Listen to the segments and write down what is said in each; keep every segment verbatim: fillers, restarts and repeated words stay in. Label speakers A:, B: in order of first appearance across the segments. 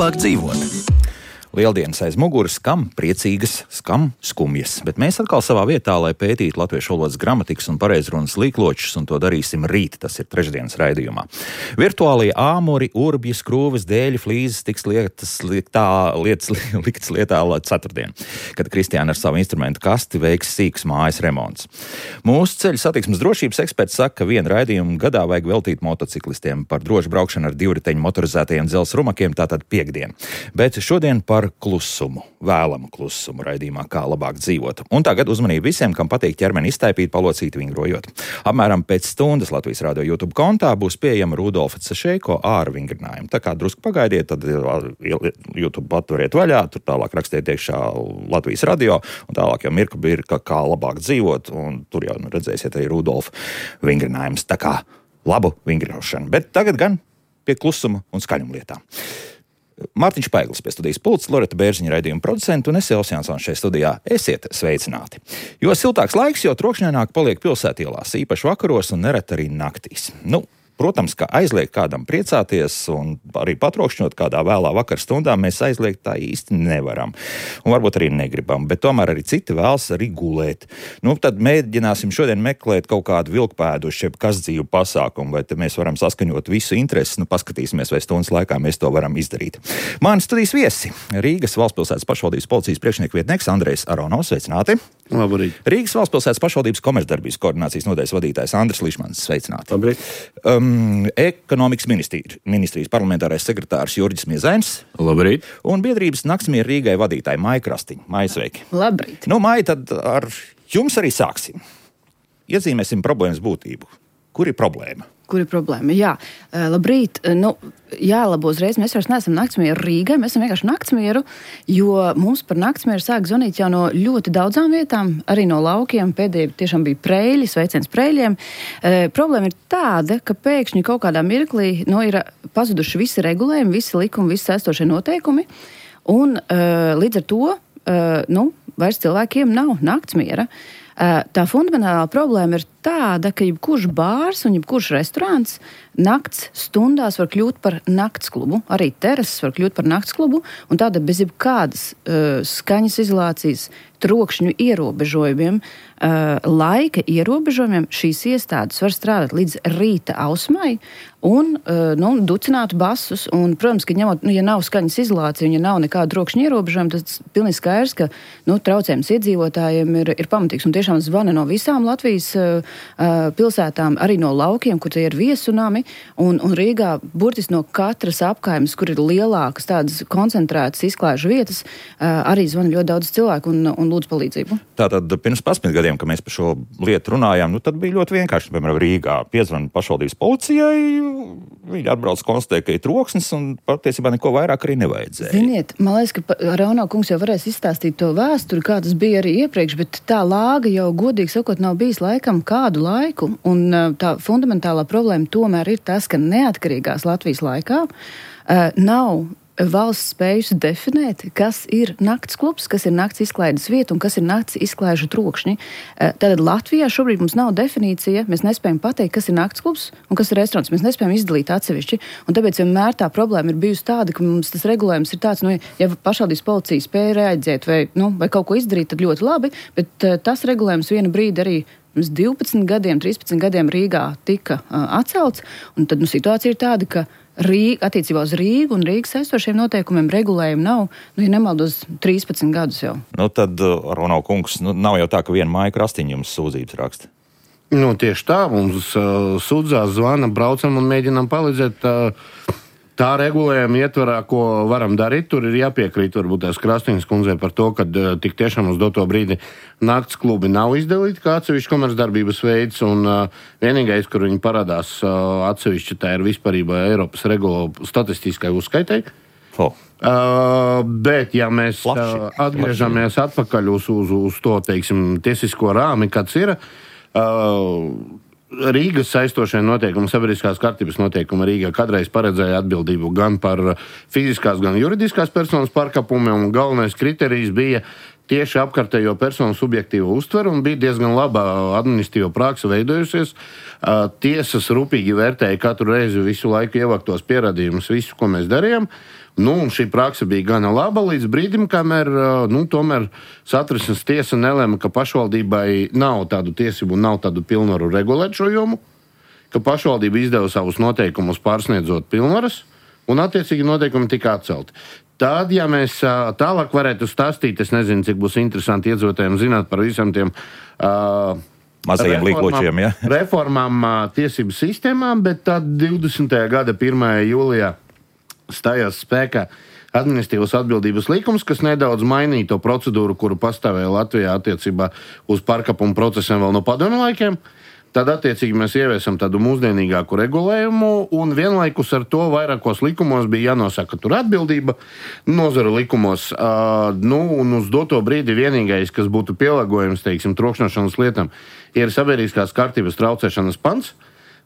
A: labāk dzīvot. Lieldienas aiz muguras, skam priecīgas, skam skumjas, bet mēs atkal savā vietā, lai pētītu latviešu valodas gramatikas un pareizrunas līkločus, un to darīsim rīt, tas ir trešdienas raidījumā. Virtuālie āmuri, urbji, skrūves, dēļi, flīzes tiks lietas, lietā, lietas liktas lietā ceturtdien, kad Kristiāna ar savu instrumentu kasti veiks sīks mājas remonts. Mūsu ceļu satiksmes drošības eksperts saka, ka vienu raidījumu gadā vajag veltīt motociklistiem par drošu braukšanu ar divriteņu motorizētajiem dzelzs rumakiem, tātad piekdien. Bet šodien par klusumu, vēlamu klusumu raidījumā, kā labāk dzīvot. Un tagad uzmanību visiem, kam patīk ķermeni iztaipīt, palocīt, vingrojot. Apmēram pēc stundas Latvijas Rādio YouTube kontā būs pieejama Rudolfa Cešeiko āra vingrinājumu. Tā kā drusku pagaidiet, tad YouTube patveriet vaļā, tur tālāk rakstiet iekšā Latvijas Radio, un tālāk jau mirka birka, kā labāk dzīvot, un tur jau nu, redzēsiet arī Rudolfa vingrinājums. Tā kā labu vingrošanu. Bet tagad gan pie klusuma un skaļuma lietām. Mārtiņš Paiglis pie studijas pults, Loreta Bērziņa raidījuma producenta un es Elsjansons šajā studijā. Esiet sveicināti. Jo siltāks laiks, jo trokšņaināk paliek pilsētielās, īpaši vakaros un nereti arī naktīs. Nu, protams, ka aizliegt kādam priecāties un arī patrokšņot kādā vēlā vakar stundā mēs aizliegt tā īsti nevaram. Un varbūt arī negribam, bet tomēr arī citi vēlas arī gulēt. Nu, tad mēģināsim šodien meklēt kaut kādu vilkpēdu uz šiem kasdzīvu pasākumu, vai te mēs varam saskaņot visu intereses. Nu, paskatīsimies, vai stundas laikā mēs to varam izdarīt. Mani studijas viesi Rīgas valstspilsētas pašvaldības policijas priekšnieku vietnieks Andrejs Aronovs, sveicināti.
B: Labrīt.
A: Rīgas valstspilsētas pašvaldības komercdarbības koordinācijas nodaļas vadītājs Andris Lišmans, sveicināti.
B: Labrīt.
A: Um, ekonomikas ministrijas, ministrijas parlamentārais sekretārs Jurģis Miezainis.
B: Labrīt.
A: Un biedrības Naktsmieru Rīgai vadītāja Maija Krastiņa. Maija, sveiki.
C: Labrīt.
A: Nu, Maija, tad ar jums arī sāksim. Iezīmēsim problēmas būtību. Kur ir problēma?
C: Kur ir problēma? Jā, labrīt. Nu, jālabo uzreiz, mēs vairs neesam Naktsmieru Rīgai, mēs esam vienkārši Naktsmieru, jo mums par Naktsmieru sāk zvanīt jau no ļoti daudzām vietām, arī no laukiem. Pēdējie tiešām bija Preļi, sveiciens Preļiem. E, problēma ir tāda, ka pēkšņi kaut kādā mirklī nu, ir pazuduši visi regulējumi, visi likumi, visi saistošie noteikumi, un e, līdz ar to e, nu, vairs cilvēkiem nav Naktsmiera. Tā fundamentālā problēma ir tāda, ka jebkurš bārs un jebkurš restorāns nakts stundās var kļūt par naktsklubu. Arī terases var kļūt par naktsklubu, un tāda bez jebkādas uh, skaņas izolācijas, trokšņu ierobežojumiem, uh, laika ierobežojumiem šīs iestādes var strādāt līdz rīta ausmai un uh, nu, ducināt basus. Un, protams, ka ņemot, nu, ja nav skaņas izolācija un ja nav nekāda trokšņa ierobežojuma, tad pilnīgi skaidrs, ka nu, traucējums iedzīvotājiem ir, ir pamatīgs. Un tiešām zvana no visām Latvijas uh, pilsētām, arī no laukiem, kur tie ir viesunami. Un, un Rīgā burtiski no katras apkaimes, kur ir lielākas tādas koncentrētas izklāžu vietas, arī zvana ļoti daudz cilvēku un, un lūdz palīdzību.
A: Tātad pirms pasmit gadiem, kad mēs par šo lietu runājām, nu tad bija ļoti vienkārši. Piemēram, Rīgā piezvana pašvaldības policijai, viņi atbrauc konstatēja, ka ir troksnis un patiesībā neko vairāk arī nevajadzēja.
C: Ziniet, man liekas, ka Rauno kungs jau varēs izstāstīt to vēsturi, kā tas bija arī iepriekš, bet tā lāga jau godīgi sakot nav bijis laikam kādu laiku, un tā fundamentālā problēma tomēr ir tas, ka neatkarīgās Latvijas laikā uh, nav valsts spējusi definēt, kas ir nakts klubs, kas ir nakts izklaides vieta un kas ir nakts izklaižu trokšņi. Uh, tātad Latvijā šobrīd mums nav definīcija, mēs nespējam pateikt, kas ir nakts klubs un kas ir restorāns. Mēs nespējam izdalīt atsevišķi, un tāpēc vienmēr tā problēma ir bijusi tāda, ka mums tas regulējums ir tāds, nu, ja pašvaldības policija spēja reaģēt vai, nu, vai kaut ko izdarīt, tad ļoti labi, bet uh, tas regulējums vienu brīdi arī pirms divpadsmit gadiem, trīspadsmit gadiem Rīgā tika uh, atcelts, un tad nu, situācija ir tāda, ka Rīga, attiecībā uz Rīgu un Rīgas saistošiem noteikumiem regulējumi nav, nu, ja nemaldos, trīspadsmit gadus jau.
A: Nu, tad, Aronov kungs, nu, nav jau tā, ka viena Maija Krastiņa jums sūdzības raksta.
B: Nu, tieši tā, mums uh, sūdzās, zvana, braucam un mēģinām palīdzēt. Uh, Tā regulējuma ietvarā, ko varam darīt, tur ir jāpiekrīt varbūt tās Krastiņas kundzei par to, ka uh, tik tiešām uz doto brīdi nakts klubi nav izdalīti kā atsevišķi komercdarbības veids, un uh, vienīgais, kur viņi parādās uh, atsevišķi, tā ir vispārībā Eiropas regula statistiskai uzskaitai.
A: Oh.
B: Uh, bet, ja mēs uh, atgriežamies atpakaļ uz, uz, uz to, teiksim, tiesisko rāmi, kāds ir, uh, Rīgas saistošie noteikumi, sabiedriskās kārtības noteikumi Rīgā kādreiz paredzēja atbildību gan par fiziskās, gan juridiskās personas pārkāpumiem, un galvenais kriterijs bija tieši apkārtējo personu subjektīvo uztveru un bija diezgan laba administratīva praksa veidojusies. Tiesas rūpīgi vērtēja katru reizi visu laiku ievāktos pierādījumus, visu, ko mēs darījām. Nu, un šī praksa bija gana laba līdz brīdim, kamēr nu, tomēr Satversmes tiesa nelēma, ka pašvaldībai nav tādu tiesību un nav tādu pilnvaru regulēt šo jomu, ka pašvaldība izdeva savus noteikumus pārsniedzot pilnvaras, un attiecīgi noteikumi tika atcelti. Tad, ja mēs tālāk varētu stāstīt, es nezinu, cik būs interesanti iedzīvotājiem zināt par visam tiem uh,
A: mazajiem līkločiem, ja?
B: reformām uh, tiesību sistēmām, bet tad divdesmitā gada pirmajā jūlijā stājās spēkā administratīvas atbildības likums, kas nedaudz mainīja to procedūru, kuru pastāvēja Latvijā attiecībā uz pārkāpumu procesiem vēl no padomju laikiem. Tad, attiecīgi, mēs ieviesam tādu mūsdienīgāku regulējumu, un vienlaikus ar to vairākos likumos bija jānosaka tur atbildība, nozaru likumos. Uh, nu, un uz doto brīdi vienīgais, kas būtu pielāgojums, teiksim, trokšņošanas lietām, ir sabiedriskās kārtības traucēšanas pants,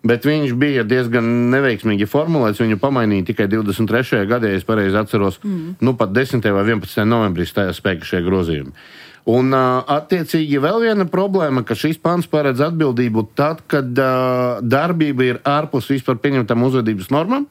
B: bet viņš bija diezgan neveiksmīgi formulēts, viņu pamainīja tikai divdesmit trešajā gadā, ja es pareizi atceros, mm. nu pat desmitajā vai vienpadsmitajā novembrī stājās spēkā šie grozījumi. Un, attiecīgi, vēl viena problēma, ka šis pants paredz atbildību tad, kad uh, darbība ir ārpus vispār pieņemtām uzvedības normām.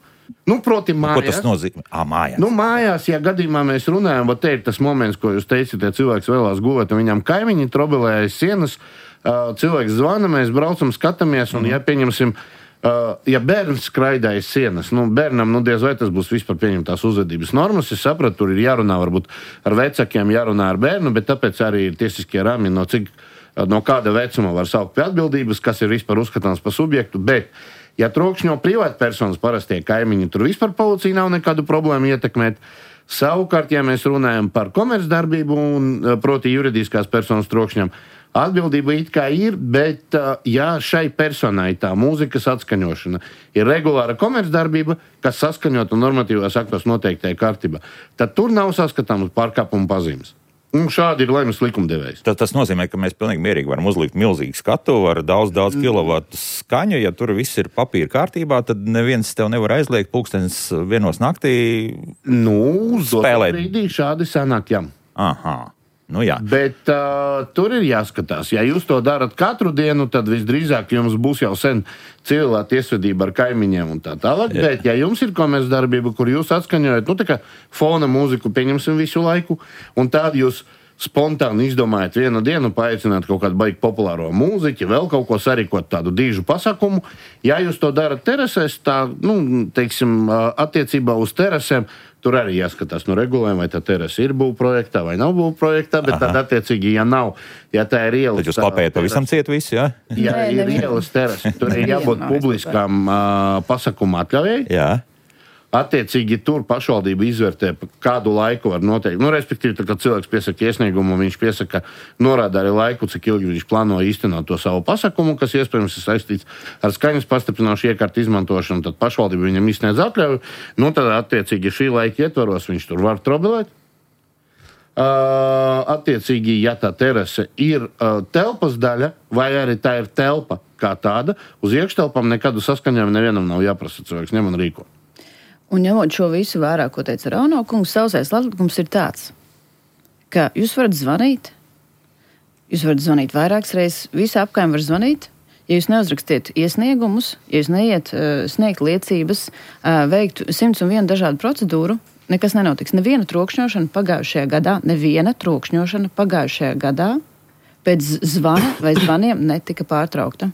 B: Nu, proti, mājās.
A: Ko tas nozīmē? Ā, mājās.
B: Nu, mājās, ja gadījumā mēs runājam, va te ir tas moments, ko jūs teicat, ja cilvēks vēlās gulēt, un viņam kaimiņi trobelē aiz sienas, uh, cilvēks zvana, mēs braucam, skatāmies, un, mm. ja pieņemsim, Uh, ja bērns skraida aiz sienas, nu, bērnam, nu, diez vai tas būs vispār pieņemtās uzvedības normas, es sapratu, tur ir jārunā varbūt ar vecākiem, jārunā ar bērnu, bet tāpēc arī ir tiesiskie rāmi, no cik, no kāda vecuma var saukt pie atbildības, kas ir vispār uzskatāms par subjektu, bet, ja trokšņo privātpersonas parastie kaimiņi, tur vispār policija nav nekādu problēmu ietekmēt. Savukārt, ja mēs runājam par komercdarbību un proti juridiskās personas trokšņam, atbildība it kā ir, bet ja šai personai tā mūzikas atskaņošana ir regulāra komercdarbība, kas saskaņota normatīvās aktos noteiktajā kārtībā, tad tur nav saskatāmas pārkāpuma pazīmes. Un šādi ir lemjas likumdevējs.
A: Tas, tas nozīmē, ka mēs pilnīgi mierīgi varam uzlikt milzīgu skatu ar daudz, daudz kilovatu skaņu. Ja tur viss ir papīra kārtībā, tad neviens tev nevar aizliegt pulkstenis vienos naktī
B: nu,
A: spēlēt.
B: Brīdī šādi sanāk, jā.
A: Aha. Nu, jā.
B: Bet uh, tur ir jāskatās. Ja jūs to darat katru dienu, tad visdrīzāk jums būs jau sen civilā tiesvedība ar kaimiņiem un tā tālāk. Jā. Bet ja jums ir komercdarbība, kur jūs atskaņojat, nu tā kā fona mūziku pieņemsim visu laiku, un tādu jūs spontāni izdomājat vienu dienu, paaicināt kaut kādu baigi populāro mūziķi, vēl kaut ko sarīkot tādu dīžu pasākumu. Ja jūs to darat terasēs, tā, nu, teiksim, attiecībā uz terasēm, tur arī jāskatās no regulējuma, vai tā terasa ir būvprojektā vai nav būvprojektā, bet tad attiecīgi, ja nav, ja tā ir ielas...
A: Tad jūs klapējat pavisam ciet visu, jā?
B: Ja Nē, ir ielas terasa, tur ir jābūt publiskām uh, pasakuma atļaujai.
A: Jā.
B: Attiecīgi tur pašvaldība izvērtē, kādu laiku var noteikt. Nu, respektīvi, tā, kad cilvēks piesaka iesniegumu, viņš piesaka, norāda arī laiku, cik ilgi viņš plāno īstenot to savu pasakumu, kas iespējams ir saistīts ar skaņas pastiprinošu iekārtu izmantošanu, tad pašvaldība viņam izsniedz atļauju. Nu, tad attiecīgi šī laika ietvaros viņš tur var trobelēt. Uh, attiecīgi, ja tā terase ir uh, telpas daļa, vai arī tā ir telpa kā tāda, uz iekštelpām nekādu saskaņojumu nevienam nav jāprasa, cilvēks ņem un rīko.
C: Un ņemot šo visu vērā, ko teica Rauno kungs, sausais likums ir tāds, ka jūs varat zvanīt, jūs varat zvanīt vairākas reizes, visa apkaime var zvanīt, ja jūs neuzrakstiet iesniegumus, ja jūs neiet uh, sniegt liecības, uh, veikt simts un vienu dažādu procedūru, nekas nenotiks. Neviena trokšņošana pagājušajā gadā, neviena trokšņošana pagājušajā gadā pēc zvana vai zvaniem netika pārtraukta.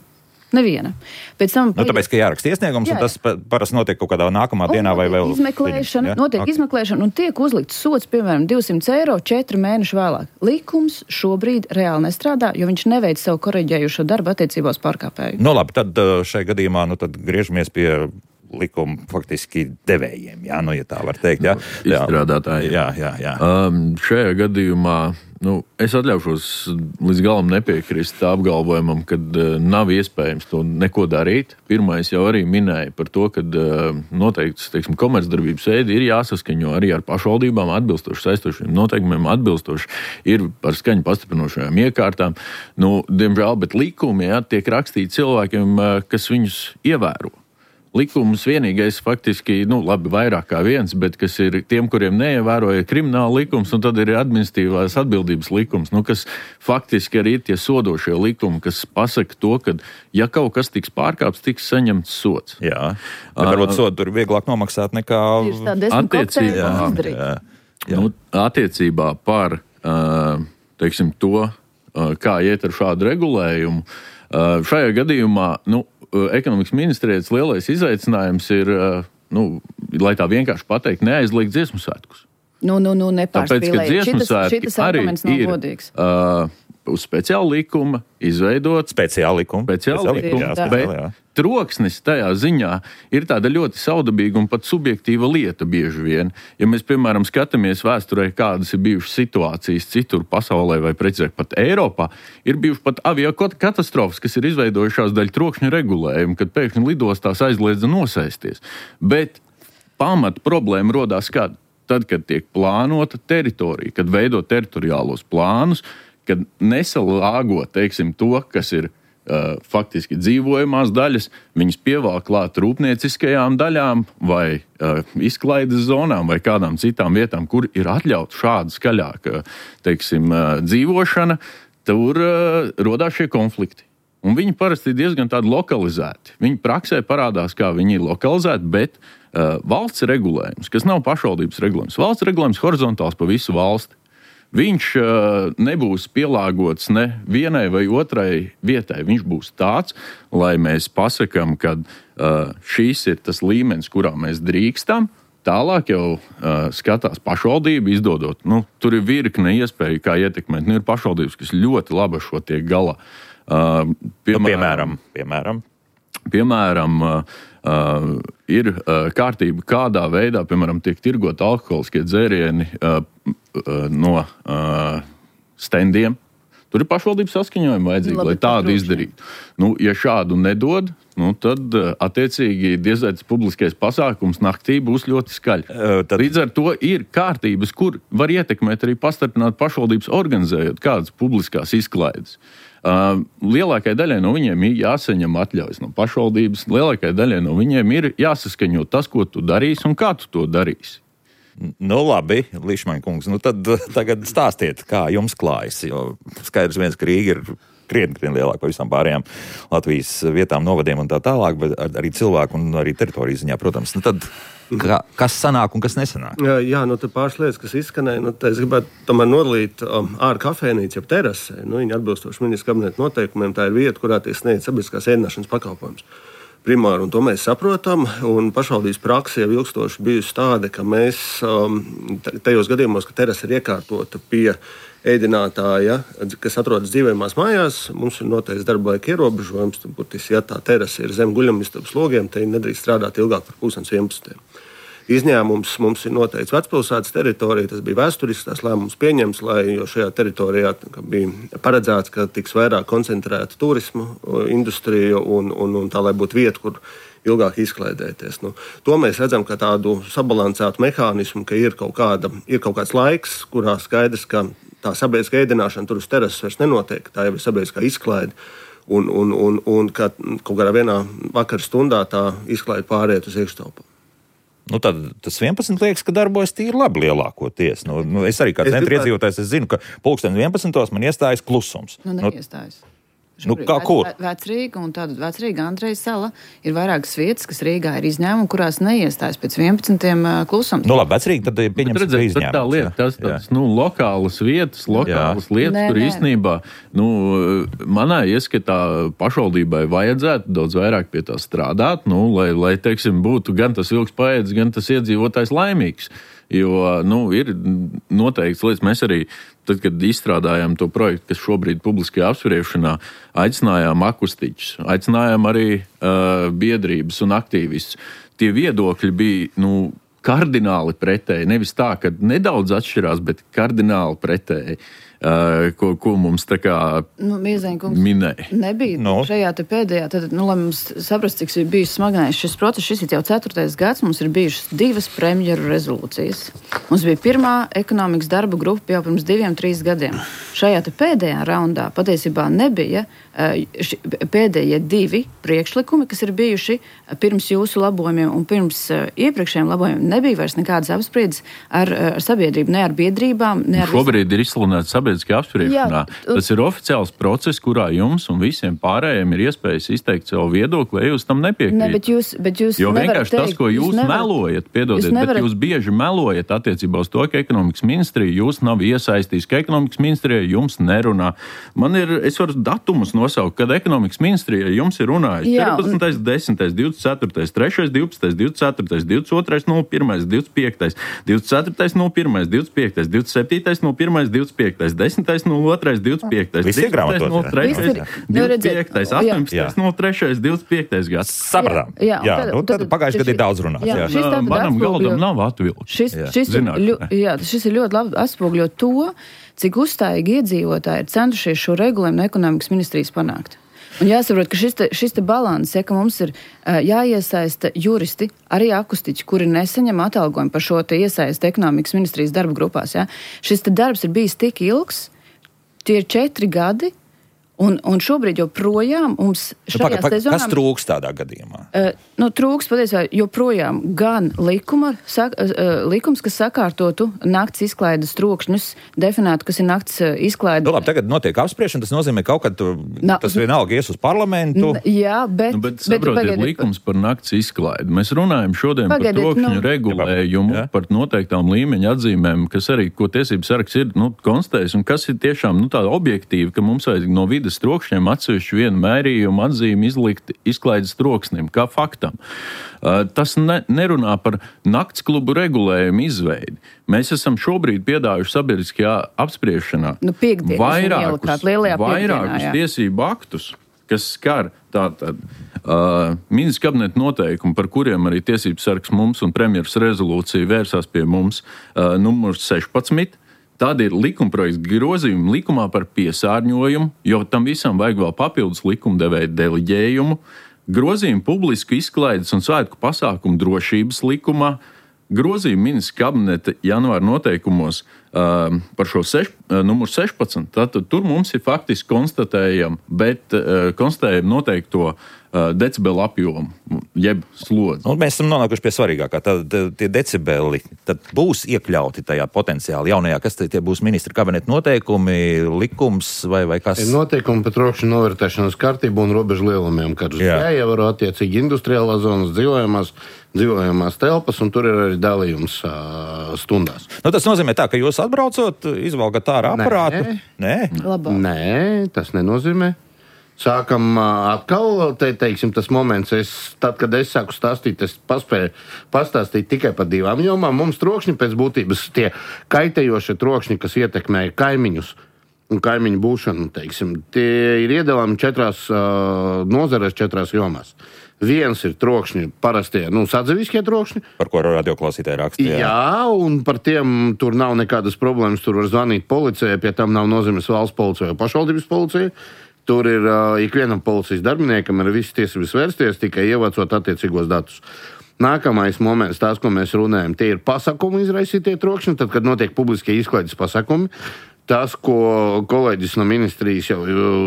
C: Neviena. Pēc tam...
A: Nu, tāpēc, ka jāraksta iesniegums, jā, jā. Un tas parasti notiek kaut kādā nākamā dienā vai vēl...
C: Izmeklēšana,
A: ja?
C: notiek
A: okay.
C: izmeklēšana un tiek uzlikts sots, piemēram, divsimt eiro četri mēneši vēlāk. Likums šobrīd reāli nestrādā, jo viņš neveic savu koreģējušo darbu attiecībās pārkāpēju.
A: Nu labi, tad šai gadījumā nu, tad griežamies pie likuma faktiski devējiem, jā, nu, ja tā var teikt. Jā.
D: Izstrādātāji.
A: Jā, jā, jā.
D: Um, šajā gadījumā nu, es atļaušos līdz galam nepiekrist apgalvojumam, ka uh, nav iespējams to neko darīt. Pirmais jau arī minēja par to, ka uh, noteikts, teiksim, komercdarbības veidi ir jāsaskaņo arī ar pašvaldībām atbilstoši saistošiem noteikumiem, atbilstoši ir par skaņu pastiprinošajām iekārtām. Nu, diemžēl, bet likumi, jā, tiek rakstīti cilvēkiem, uh, kas viņus ievēro. likumus vienīgais faktiski, nu, labi, vairāk kā viens, bet kas ir tiem, kuriem neievēroja krimināla likums, un tad ir administratīvās atbildības likums, nu, kas faktiski arī ir tie sodošie likumi, kas pasaka to, ka, ja kaut kas tiks pārkāpts, tiks saņemts sods.
A: Jā, bet varbūt sodu tur vieglāk nomaksāt nekā
D: attiecībā, nu, attiecībā par, teiksim, to, kā iet ar šādu regulējumu. Šajā gadījumā, nu, ekonomikas ministrijas lielais izaicinājums ir, nu, lai tā vienkārši pateikt, neaizliegt dziesmu svētkus.
C: Nu, nu, nu, nepārspīlēt.
D: Tāpēc, ka dziesmu svētki arī ir uh, uz speciāla likuma izveidot.
A: Speciāla likuma.
D: Speciāla likuma, jā, bet jā. Troksnis tajā ziņā ir tāda ļoti saudabīga un pat subjektīva lieta bieži vien. Ja mēs, piemēram, skatāmies vēsturē, kādas ir bijušas situācijas citur pasaulē vai precīzāk pat Eiropā, ir bijušas pat aviokatastrofas, kas ir izveidojušās daļa trokšņa regulējumu, kad pēkšņi lidostās aizliedza nosēsties. Bet pamat problēma rodās kad? Tad, kad tiek plānota teritorija, kad veido teritoriālos plānus, kad nesalāgo, teiksim, to, kas ir Uh, faktiski dzīvojamās daļas, viņas pievēl klāt rūpnieciskajām daļām vai uh, izklaides zonām vai kādām citām vietām, kur ir atļauta šāda skaļāka, teiksim, uh, dzīvošana, tur uh, rodās šie konflikti. Un viņi parasti ir diezgan tādi lokalizēti. Viņi praksē parādās, kā viņi ir lokalizēti, bet uh, valsts regulējums, kas nav pašvaldības regulējums, valsts regulējums horizontāls pa visu valsti. Viņš uh, nebūs pielāgots ne vienai vai otrai vietai. Viņš būs tāds, lai mēs pasakām, ka uh, šīs ir tas līmenis, kurā mēs drīkstam. Tālāk jau uh, skatās pašvaldība, izdodot. Nu, tur ir virkne iespēju, kā ietekmēt. Nu, ir pašvaldības, kas ļoti labi šo tiek galā. Uh,
A: piemēram, nu, piemēram.
D: Piemēram, uh, uh, ir uh, kārtība, kādā veidā, piemēram, tiek tirgot alkoholiskie dzērieni uh, no uh, standiem. Tur ir pašvaldības saskaņojumi vajadzīgi, Labi, lai tādu izdarītu. Nu, ja šādu nedod, nu, tad uh, attiecīgi diezvēts publiskais pasākums naktī būs ļoti skaļi. Uh, tad... Līdz ar to ir kārtības, kur var ietekmēt arī pastarpināt pašvaldības organizējot kādas publiskās izklaides. Uh, lielākai daļai no viņiem ir jāsaņem atļaujas no pašvaldības, lielākai daļai no viņiem ir jāsaskaņo tas, ko tu darīsi un kā tu to darīsi.
A: Nu, labi, Lišmaņa kungs, nu tad tagad stāstiet, kā jums klājas, jo skaidrs viens, ka Rīga ir krietni, krietni lielāka par visām pārējām Latvijas vietām, novadiem un tā tālāk, bet arī cilvēku un arī teritorijas ziņā, protams. Nu tad, kā, kas sanāk un kas nesanāk?
E: Jā, jā nu tad pāris lietas, kas izskanēja, nu tad es gribētu tomēr nodalīt um, ārā kafejnīcu, jeb terasē. Nu, viņa atbilstoši ministra kabineta noteikumiem, tā ir vieta, kurā tiek sniegts sabiedriskās ēdināšanas pakalpojums. Primāri, un to mēs saprotam, un pašvaldības praksa jau ilgstoši bijusi tāda, ka mēs um, tajos gadījumos, ka terasa ir iekārtota pie ēdinātāja, kas atrodas dzīvojamās mājās, mums ir noteikts darba laika ierobežojums, būtiski, ja tā terasa ir zem guļamistabas logiem, tad viņi nedrīkst strādāt ilgāk par pusdienas vienpadsmitiem. Izņēmums mums ir noteikts vecpilsētas teritorija, tas bija vēsturisks tās lēmums pieņems, lai, jo šajā teritorijā bija paredzēts, ka tiks vairāk koncentrēta turismu industrija un, un, un tā, lai būtu vieta, kur ilgāk izklaidēties. Nu, to mēs redzam, ka tādu sabalansētu mehānismu, ka ir kaut, kāda, ir kaut kāds laiks, kurā skaidrs, ka tā sabiedriskā ēdināšana tur uz terases vairs nenotiek, tā jau ir sabiedriskā izklaide. Un, un, un, un ka kaut kādā vienā vakara stundā tā izklaide pāriet uz iekštelpu.
A: Nu, tad tas vienpadsmit liekas, ka darbojas tīri labi lielākoties. Nu, nu, es arī kā centra iedzīvotājs, es zinu, ka pulksten vienpadsmitos man iestājas klusums.
C: Nu, neiestājas.
A: Nu, kā kur?
C: Vecrīga un tāda Vecrīga Andrejas sala ir vairākas vietas, kas Rīgā ir izņēmumi, kurās neiestājas pēc vienpadsmitiem klusums.
A: Nu labi, Vecrīga tad pieņems
D: redzēt, izņēmums. Tā lieta, tas tāds, nu, lokālas vietas, lokālas jā. lietas, nē, kur nē. īstenībā, nu, manā ieskatā pašvaldībai vajadzētu daudz vairāk pie tā strādāt, nu, lai, lai, teiksim, būtu gan tas vilks paēdis, gan tas iedzīvotājs laimīgs. Jo, nu, ir noteikts lietas, mēs arī, tad, kad izstrādājām to projektu, kas šobrīd publiskajā apspriešanā, aicinājām akustiķus, aicinājām arī uh, biedrības un aktīvistus. Tie viedokļi bija, nu, kardināli pretēji. Nevis tā, ka nedaudz atšķirās, bet kardināli pretēji. Uh, ko, ko mums tā kā
C: nu, Miezeņkungs
D: minēja.
C: Nebija no. šajā te pēdējā, tad, nu, lai mums saprast, cik ir bijis smagnējis šis process, šis ir jau ceturtais gads, mums ir bijušas divas premjeru rezolūcijas. Mums bija pirmā ekonomikas darba grupa jau pirms diviem, trīs gadiem. Šajā te pēdējā raundā patiesībā nebija ši, pēdējie divi priekšlikumi, kas ir bijuši pirms jūsu labojumiem un pirms iepriekšējiem labojumiem, nebija vairs nekādas apspriedes ar, ar sabiedrību, ne ar biedrībām, ne ar...
D: Šobrīd ir izsludināts sabiedriskajā apspriešanā. Tas ir oficiāls process, kurā jums un visiem pārējiem ir iespējas izteikt savu viedokli, ja jūs tam nepiekrīt.
C: Ne, bet jūs, bet jūs
D: jo vienkārši
C: teikt,
D: tas, ko jūs, jūs nevarat, melojat, piedodiet, jūs nevarat... bet jūs bieži melojat attiecībā uz to, ka ekonomikas ministrija jūs nav iesaistījis, ka ekonomikas ministrija jums nerunā. Man ir, es varu datumus nosaukt, kad ekonomikas ministrija jums ir runājis. četrpadsmitais, desmitais, divdesmit ceturtais, trešais, divpadsmitais, divdesmit ceturtais, divdesmit otrais, nulle pirmais, divdesmit piektais, divdesmit ceturtais, nulle pirmais, divdesmit piektais, divdesmit septītais, nulle pirmais, divdesmit piektais, desmitais, nulle otrais, divdesmit piektais,
A: desmitais,
D: nulle trešais, divdesmit piektais, astoņpadsmitais, nulle trešais, divdesmit piektais gads.
A: Sapratām. Jā, jā, jā. Tad, tad pagājuši gadu ir daudz runāts.
C: Jā, šis tātad
D: manam galdam nav atvilkts.
C: Šis, šis, ir, ļo, jā, šis ir ļoti labi atspogļo to, cik uzstājīgi iedzīvotāji ir centušies šo regulējumu no ekonomikas ministrijas panākt. Un jāsaprot, ka šis te, šis te balans, ja, ka mums ir uh, jāiesaista juristi, arī akustiķi, kuri nesaņem atalgojumu par šo te iesaisti ekonomikas ministrijas darba grupās. Ja. Šis te darbs ir bijis tik ilgs, tie ir četri gadi, un, un šobrīd joprojām mums šajās
A: nu,
C: sezonām...
A: Kas trūks tādā gadījumā?
C: Uh, nu, trūks patiesībā joprojām gan likuma, sak, uh, likums, kas sakārtotu nakts izklaides trokšņus, definētu, kas ir nakts izklaide.
A: Nu, labi, tagad notiek apspriešana, tas nozīmē kaut kad tu, Na, tas vienalga ies uz parlamentu.
C: N, jā, bet...
D: Nu, bet saprotiet, bet, likums par nakts izklaidi. Mēs runājam šodien pagaidiet, par trokšņu nu, regulējumu, jā. Par noteiktām līmeņa atzīmēm, kas arī, ko tiesības sargs ir nu, konstatējis, un kas ir tiešām nu, tāda objektīva, ka mums vajag no vidas trokšņiem atsevišķu vienu mērījumu atzīmi izlikt izklaides troksnim, kā faktam. Uh, tas ne, nerunā par nakts klubu regulējumu izveidi. Mēs esam šobrīd piedāvuši sabiedriskajā apspriešanā
C: nu, piekdien,
D: vairākus, vairākus tiesību aktus, kas skar tātad uh, ministrs kabineta noteikumu, par kuriem arī tiesības sargs mums un premjeras rezolūcija vērsās pie mums, uh, numurs sešpadsmit. Tad ir likumprojekts grozījumi likumā par piesārņojumu, jo tam visam vajag vēl papildus likumdevēja deliģējumu, grozījumi publisku izklaides un svētku pasākumu drošības likumā, grozījumi ministra kabineta janvāra noteikumos uh, par šo seš, uh, numuru sešpadsmit. Tātad tur mums ir faktiski konstatējam, bet uh, konstatējam noteikto uh, decibelu apjomu, jeb slodzi.
A: Un mēs esam nonākuši pie svarīgākā. Tad tie decibeli tad būs iekļauti tajā potenciāli jaunajā, kas tie būs ministra kabineta noteikumi, likums vai, vai kas?
B: Ir noteikumi par trokšņu novērtēšanas kārtību un robežu lielumiem, kad jāievēro attiecīgi industriālās zonas, dzīvojamās, dzīvojamās telpas, un tur ir arī dalījums uh, stundās.
A: Nu, tas nozīmē tā, ka jūs atbraucot, izvalgat ārā aparātu?
B: Nē. Nē? Nē, tas nenozīmē. Sākam atkal, te, teiksim, tas moments, es, tad, kad es sāku stāstīt, es paspēju pastāstīt tikai par divām jomām. Mums trokšņi pēc būtības tie kaitējošie trokšņi, kas ietekmē kaimiņus un kaimiņu būšanu, teiksim, tie ir iedalāmi četrās uh, nozarēs, četrās jomās. Viens ir trokšņi, parastie, nu, sadzīviskie trokšņi.
A: Par ko radioklausītāji rakstīja.
B: Jā. jā, un par tiem tur nav nekādas problēmas, tur var zvanīt policijai, pie tam nav nozīmes valsts policija vai pašvaldības policija. Tur ir uh, ikvienam policijas darbiniekam ir visas tiesības vērsties, tikai ievācot attiecīgos datus. Nākamais moments, tās, ko mēs runājam, tie ir pasākumu izraisītie trokšņi, tad, kad notiek publiskie izklaides pasākumi. Tas, ko kolēģis no ministrijas jau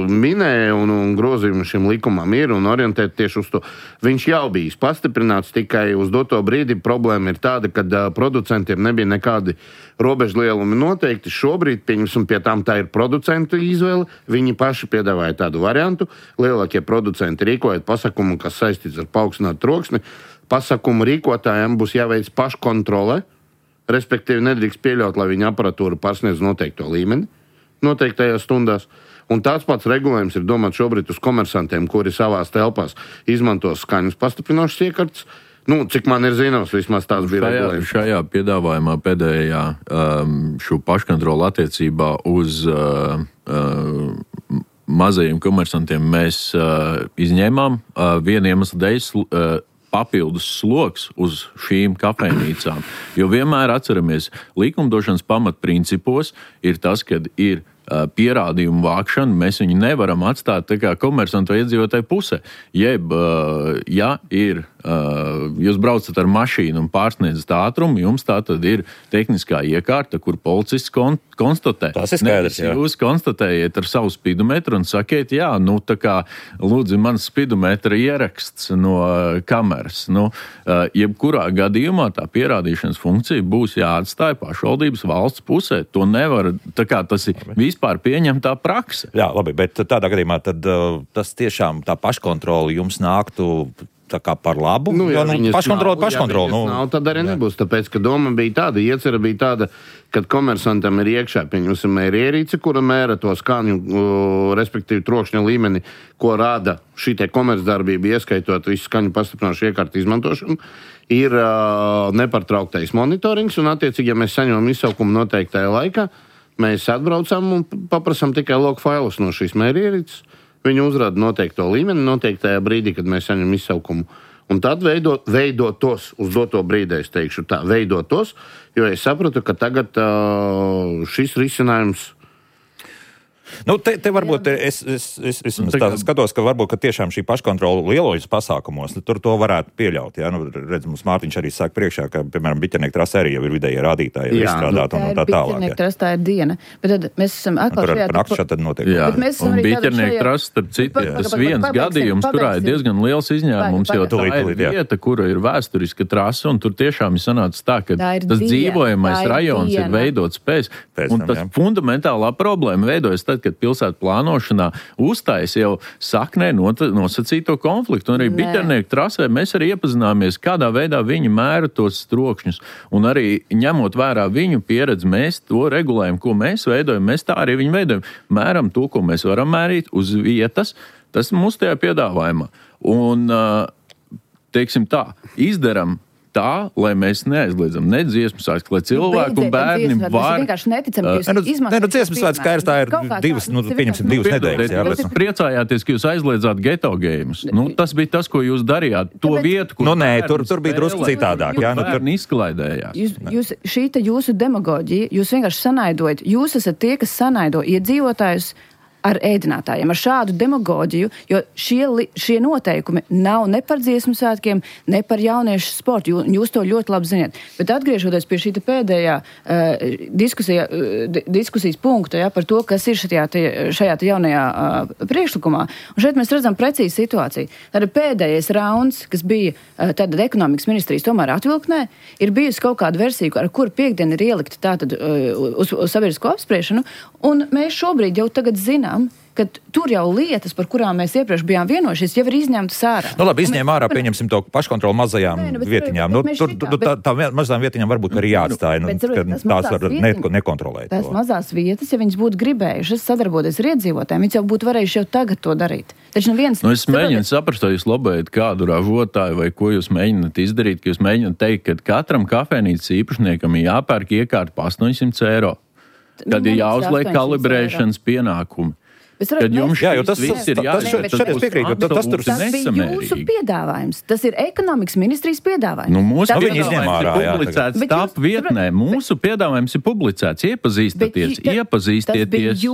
B: minēja, un, un grozījumi šim likumam ir, un orientēt tieši uz to, viņš jau bijis pastiprināts, tikai uz doto brīdi problēma ir tāda, ka uh, producentiem nebija nekādi robežu lielumi noteikti. Šobrīd, pieņemsim, pie tām tā ir producentu izvēle, viņi paši piedāvāja tādu variantu. Lielākie producenti rīkojot pasākumu, kas saistīts ar paaugstinātu troksni, pasākumu rīkotājiem būs jāveic paškontrole. Respektīvi, nedrīkst pieļaut, lai viņa aparatūra pārsniedz noteikto līmeni noteiktajās stundās. Un tāds pats regulējums ir domāts šobrīd uz komersantiem, kuri savās telpās izmantos skaņas pastiprinošas iekārtas. Nu, cik man ir zināms, vismaz tās bija regulējums.
D: Šajā piedāvājumā pēdējā um, šo paškontrolu attiecībā uz uh, uh, mazajiem komersantiem mēs uh, izņēmām uh, vienu iemeslu dēļ uh, papildus sloks uz šīm kafejnīcām. Jo vienmēr atceramies, likumdošanas pamatprincipos ir tas, kad ir uh, pierādījumu vākšana, mēs viņu nevaram atstāt tā kā komersantu iedzīvotāju pusē. Jeb, uh, ja ir uh, uh, jūs braucat ar mašīnu un pārsniedzat ātrumu, jums tā tad ir tehniskā iekārta, kur policists kon- konstatē.
A: Tas ir skaidrs, jā.
D: Jūs konstatējiet ar savu spidometru un sakiet, jā, nu tā kā lūdzu mans spidometra ieraksts no uh, kameras. Nu, uh, jebkurā gadījumā tā pierādīšanas funkcija būs jāatstāja pašvaldības valsts pusē. To nevar, tā kā tas ir vispār pieņemtā prakse.
A: Jā, labi, bet tādā gadījumā tad uh, tas tiešām tā paškontrola jums nāktu tā kā par labu,
B: Nu,
A: jo
B: ja
A: nu,
B: viņas
A: paškontrola,
B: nav,
A: paškontrola.
B: Ja viņas
A: Nu,
B: nav, tad arī nebūs, tāpēc, ka doma bija tāda, iecera bija tāda, kad komersantam ir iekšā, pieņemsim, mērierīce, kura mēra to skaņu, uh, respektīvi trokšņa līmeni, ko rāda šī te komercdarbība, ieskaitot visu skaņu pastiprināšu iekārtu izmantošanu, ir uh, nepārtrauktais monitorings, un attiecīgi, ja mēs saņemam izsaukumu noteiktajā laikā, mēs atbraucam un paprasam tikai log failus no šīs mērierīces. Viņi uzrāda noteikto līmeni noteiktajā brīdī, kad mēs saņemam izsaukumu. Un tad veidot, veidot tos, uz doto brīdī, es teikšu tā, veidot tos, jo es sapratu, ka tagad uh, šis risinājums.
A: Nu, te, te varbūt es, es, es, es nu, tā skatos, ka varbūt ka tiešām šī paškontrola lielojas pasākumos, nu, tur to varētu pieļaut. Ja? Nu, redz, mums Mārtiņš arī saka priekšā, ka, piemēram, biķernieku trasē arī jau ir vidējie rādītāji, ir izstrādāti un tā tālāk.
C: Biķernieku trasē tā ir diena, bet tad mēs esam atkal
A: šajā... Par nakti tad notiek.
D: Jā,
C: un
D: biķernieku trasē, starp citu, tas viens gadījums, kurā ir diezgan liels izņēmums, jo tā ir vieta, kura ir vēsturiska trasa, un tur tiešām ir sanācis tā, ka tas dzīvojamais rajons ir veidots pēc, un tas fundamentālā problēma veidojas tad, kad pilsētu plānošanā uztais jau saknē nosacīto konfliktu. Un arī biķernieku trasē mēs arī iepazināmies, kādā veidā viņi mēra tos trokšņus. Un arī ņemot vērā viņu pieredzi, mēs to regulējumu, ko mēs veidojam, mēs tā arī viņu veidojam. Mēram to, ko mēs varam mērīt uz vietas, tas ir mūsu tajā piedāvājumā. Un, teiksim tā, izdaram tā, lai mēs neaizliedzam ne dziesmu svētku, lai cilvēku un bērni var...
C: Mēs vienkārši neticam, ka jūs izmantojat.
A: Ne, nu, dziesmu svētku skaidrs, tā ir divas, nu, pieņemsim divas nedēļas. Jā,
D: jūs priecājāties, ka jūs aizliedzāt geto games. Nu, tas bija tas, ko jūs darījāt. To vietu, kur...
A: Nu, nē, tur, tur bija drusku citādāk. Jā, nu, tur
D: izklaidējās.
C: Jūs, jūs, šī te jūsu demagoģija, jūs vienkārši sanaidojat. Jūs esat tie, kas sanaido iedzīvotājus ar ēdinātājiem, ar šādu demagoģiju, jo šie, šie noteikumi nav ne par dziesmu svētkiem, ne par jauniešu sportu. Jūs, jūs to ļoti labi zināt. Bet atgriežoties pie šī pēdējā uh, diskusija, uh, diskusijas punkta, ja, par to, kas ir šajā, te, šajā te jaunajā uh, priekšlikumā, un šeit mēs redzam precīzi situāciju. Tātad pēdējais rauns, kas bija uh, tātad ekonomikas ministrijas tomēr atvilknē, ir bijusi kaut kāda versija, ar kuru piekdien ir ielikta tātad uh, uz, uz sabiedrisko apspriešanu, un mēs šobrīd jau tagad zinām, ka tur jau lietas, par kurām mēs iepriekš bijām vienojušies, jau ir izņemtas ārā.
A: Nu, labi, izņēma ārā, pieņemsim to paškontrolu mazajām Nē, nu, vietiņām. Nu, tur, šitā, tur, tā, tā mazām vietiņām varbūt arī jāatstāja, nu, ka tās var ne, nekontrolēt.
C: Tās
A: to.
C: mazās vietas, ja viņas būtu gribējušas sadarboties ar iedzīvotājiem, viņas jau būtu varējuši jau tagad to darīt. Taču neviens...
D: Nu, es mēģinu saprast, vai jūs lobējat kādu ražotāju vai ko jūs mēģināt izdarīt, ka jūs mēģināt teikt, ka katram kafejnīcas īpašniekam ir jāpērk iekārta pa astoņsimt eiro. Tad ir jāuzliek kalibrēšanas pienākumi. Kad jums
A: jā, jo tas,
D: viss ir jāsaka,
A: tas, tas, piekrīt, tas, tas, tur
C: tas bija jūsu piedāvājums. Tas ir ekonomikas ministrijas piedāvājums.
D: Nu, mūsu
A: tas
D: piedāvājums ir publicēts T A P vietnē. Mūsu piedāvājums ir publicēts. Iepazīstieties, iepazīstieties,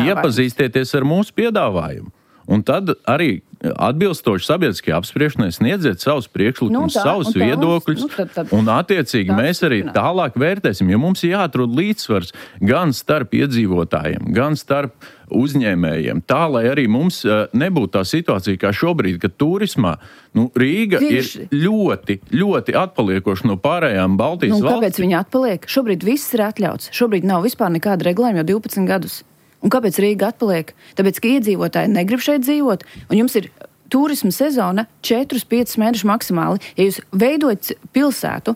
D: iepazīstieties ar mūsu piedāvājumu. Un tad arī atbilstoši sabiedriskajai apspriešanai sniedziet savus priekšlikumus, nu, savus tā, viedokļus, nu, tad, tad, un attiecīgi mēs arī tālāk vērtēsim, jo mums ir jāatrod līdzsvars gan starp iedzīvotājiem, gan starp uzņēmējiem, tā, lai arī mums uh, nebūtu tā situācija kā šobrīd, kad turismā nu, Rīga Tieši. ir ļoti, ļoti atpaliekoša no pārējām Baltijas
C: nu,
D: valstīm.
C: Kāpēc viņa atpaliek? Šobrīd viss ir atļauts. Šobrīd nav vispār nekāda regulējuma jau divpadsmit gadus. Un kāpēc Rīga atpaliek? Tāpēc, ka iedzīvotāji negrib šeit dzīvot, un jums ir turisma sezona četri līdz pieci mēneši maksimāli. Ja jūs veidojat pilsētu,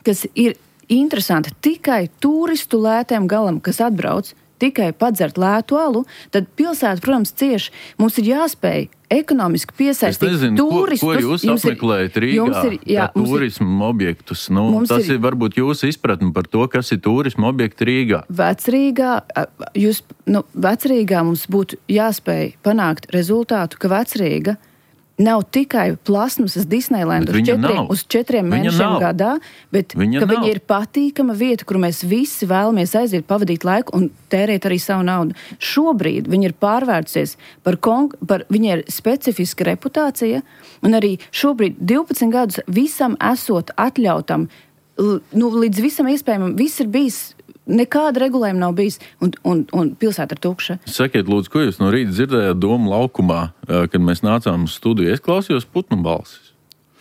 C: kas ir interesanta tikai turistu lētiem galam, kas atbrauc, tikai padzert lētu alu, tad pilsēta, protams, cieši. Mums ir jāspēj ekonomiski piesaistīt
D: nezinu,
C: turistus.
D: Ko, ko jūs apmeklējat Rīgā, ir, jā, turismu ir, objektus? Nu, tas ir, ir varbūt jūsu izpratni par to, kas ir turismu objekti Rīgā.
C: Vecrīgā, jūs, nu, Vecrīgā mums būtu jāspēj panākt rezultātu, ka Vecrīga nav tikai plasmasas Disneyland uz četriem, uz četriem mēnešiem gadā, bet viņa ka nav. Viņa ir patīkama vieta, kur mēs visi vēlamies aiziet, pavadīt laiku un tērēt arī savu naudu. Šobrīd viņa ir pārvērtusies par, kon- par viņa ir specifiska reputācija, un arī šobrīd divpadsmit gadus visam esot atļautam, nu, līdz visam iespējamam, viss ir bijis, nekāda regulējuma nav bijis, un, un, un pilsēta ir tukša.
D: Sakiet, lūdzu, ko jūs no rīta dzirdējāt Doma laukumā, kad mēs nācām uz studiju? Es klausījos putnu balsis.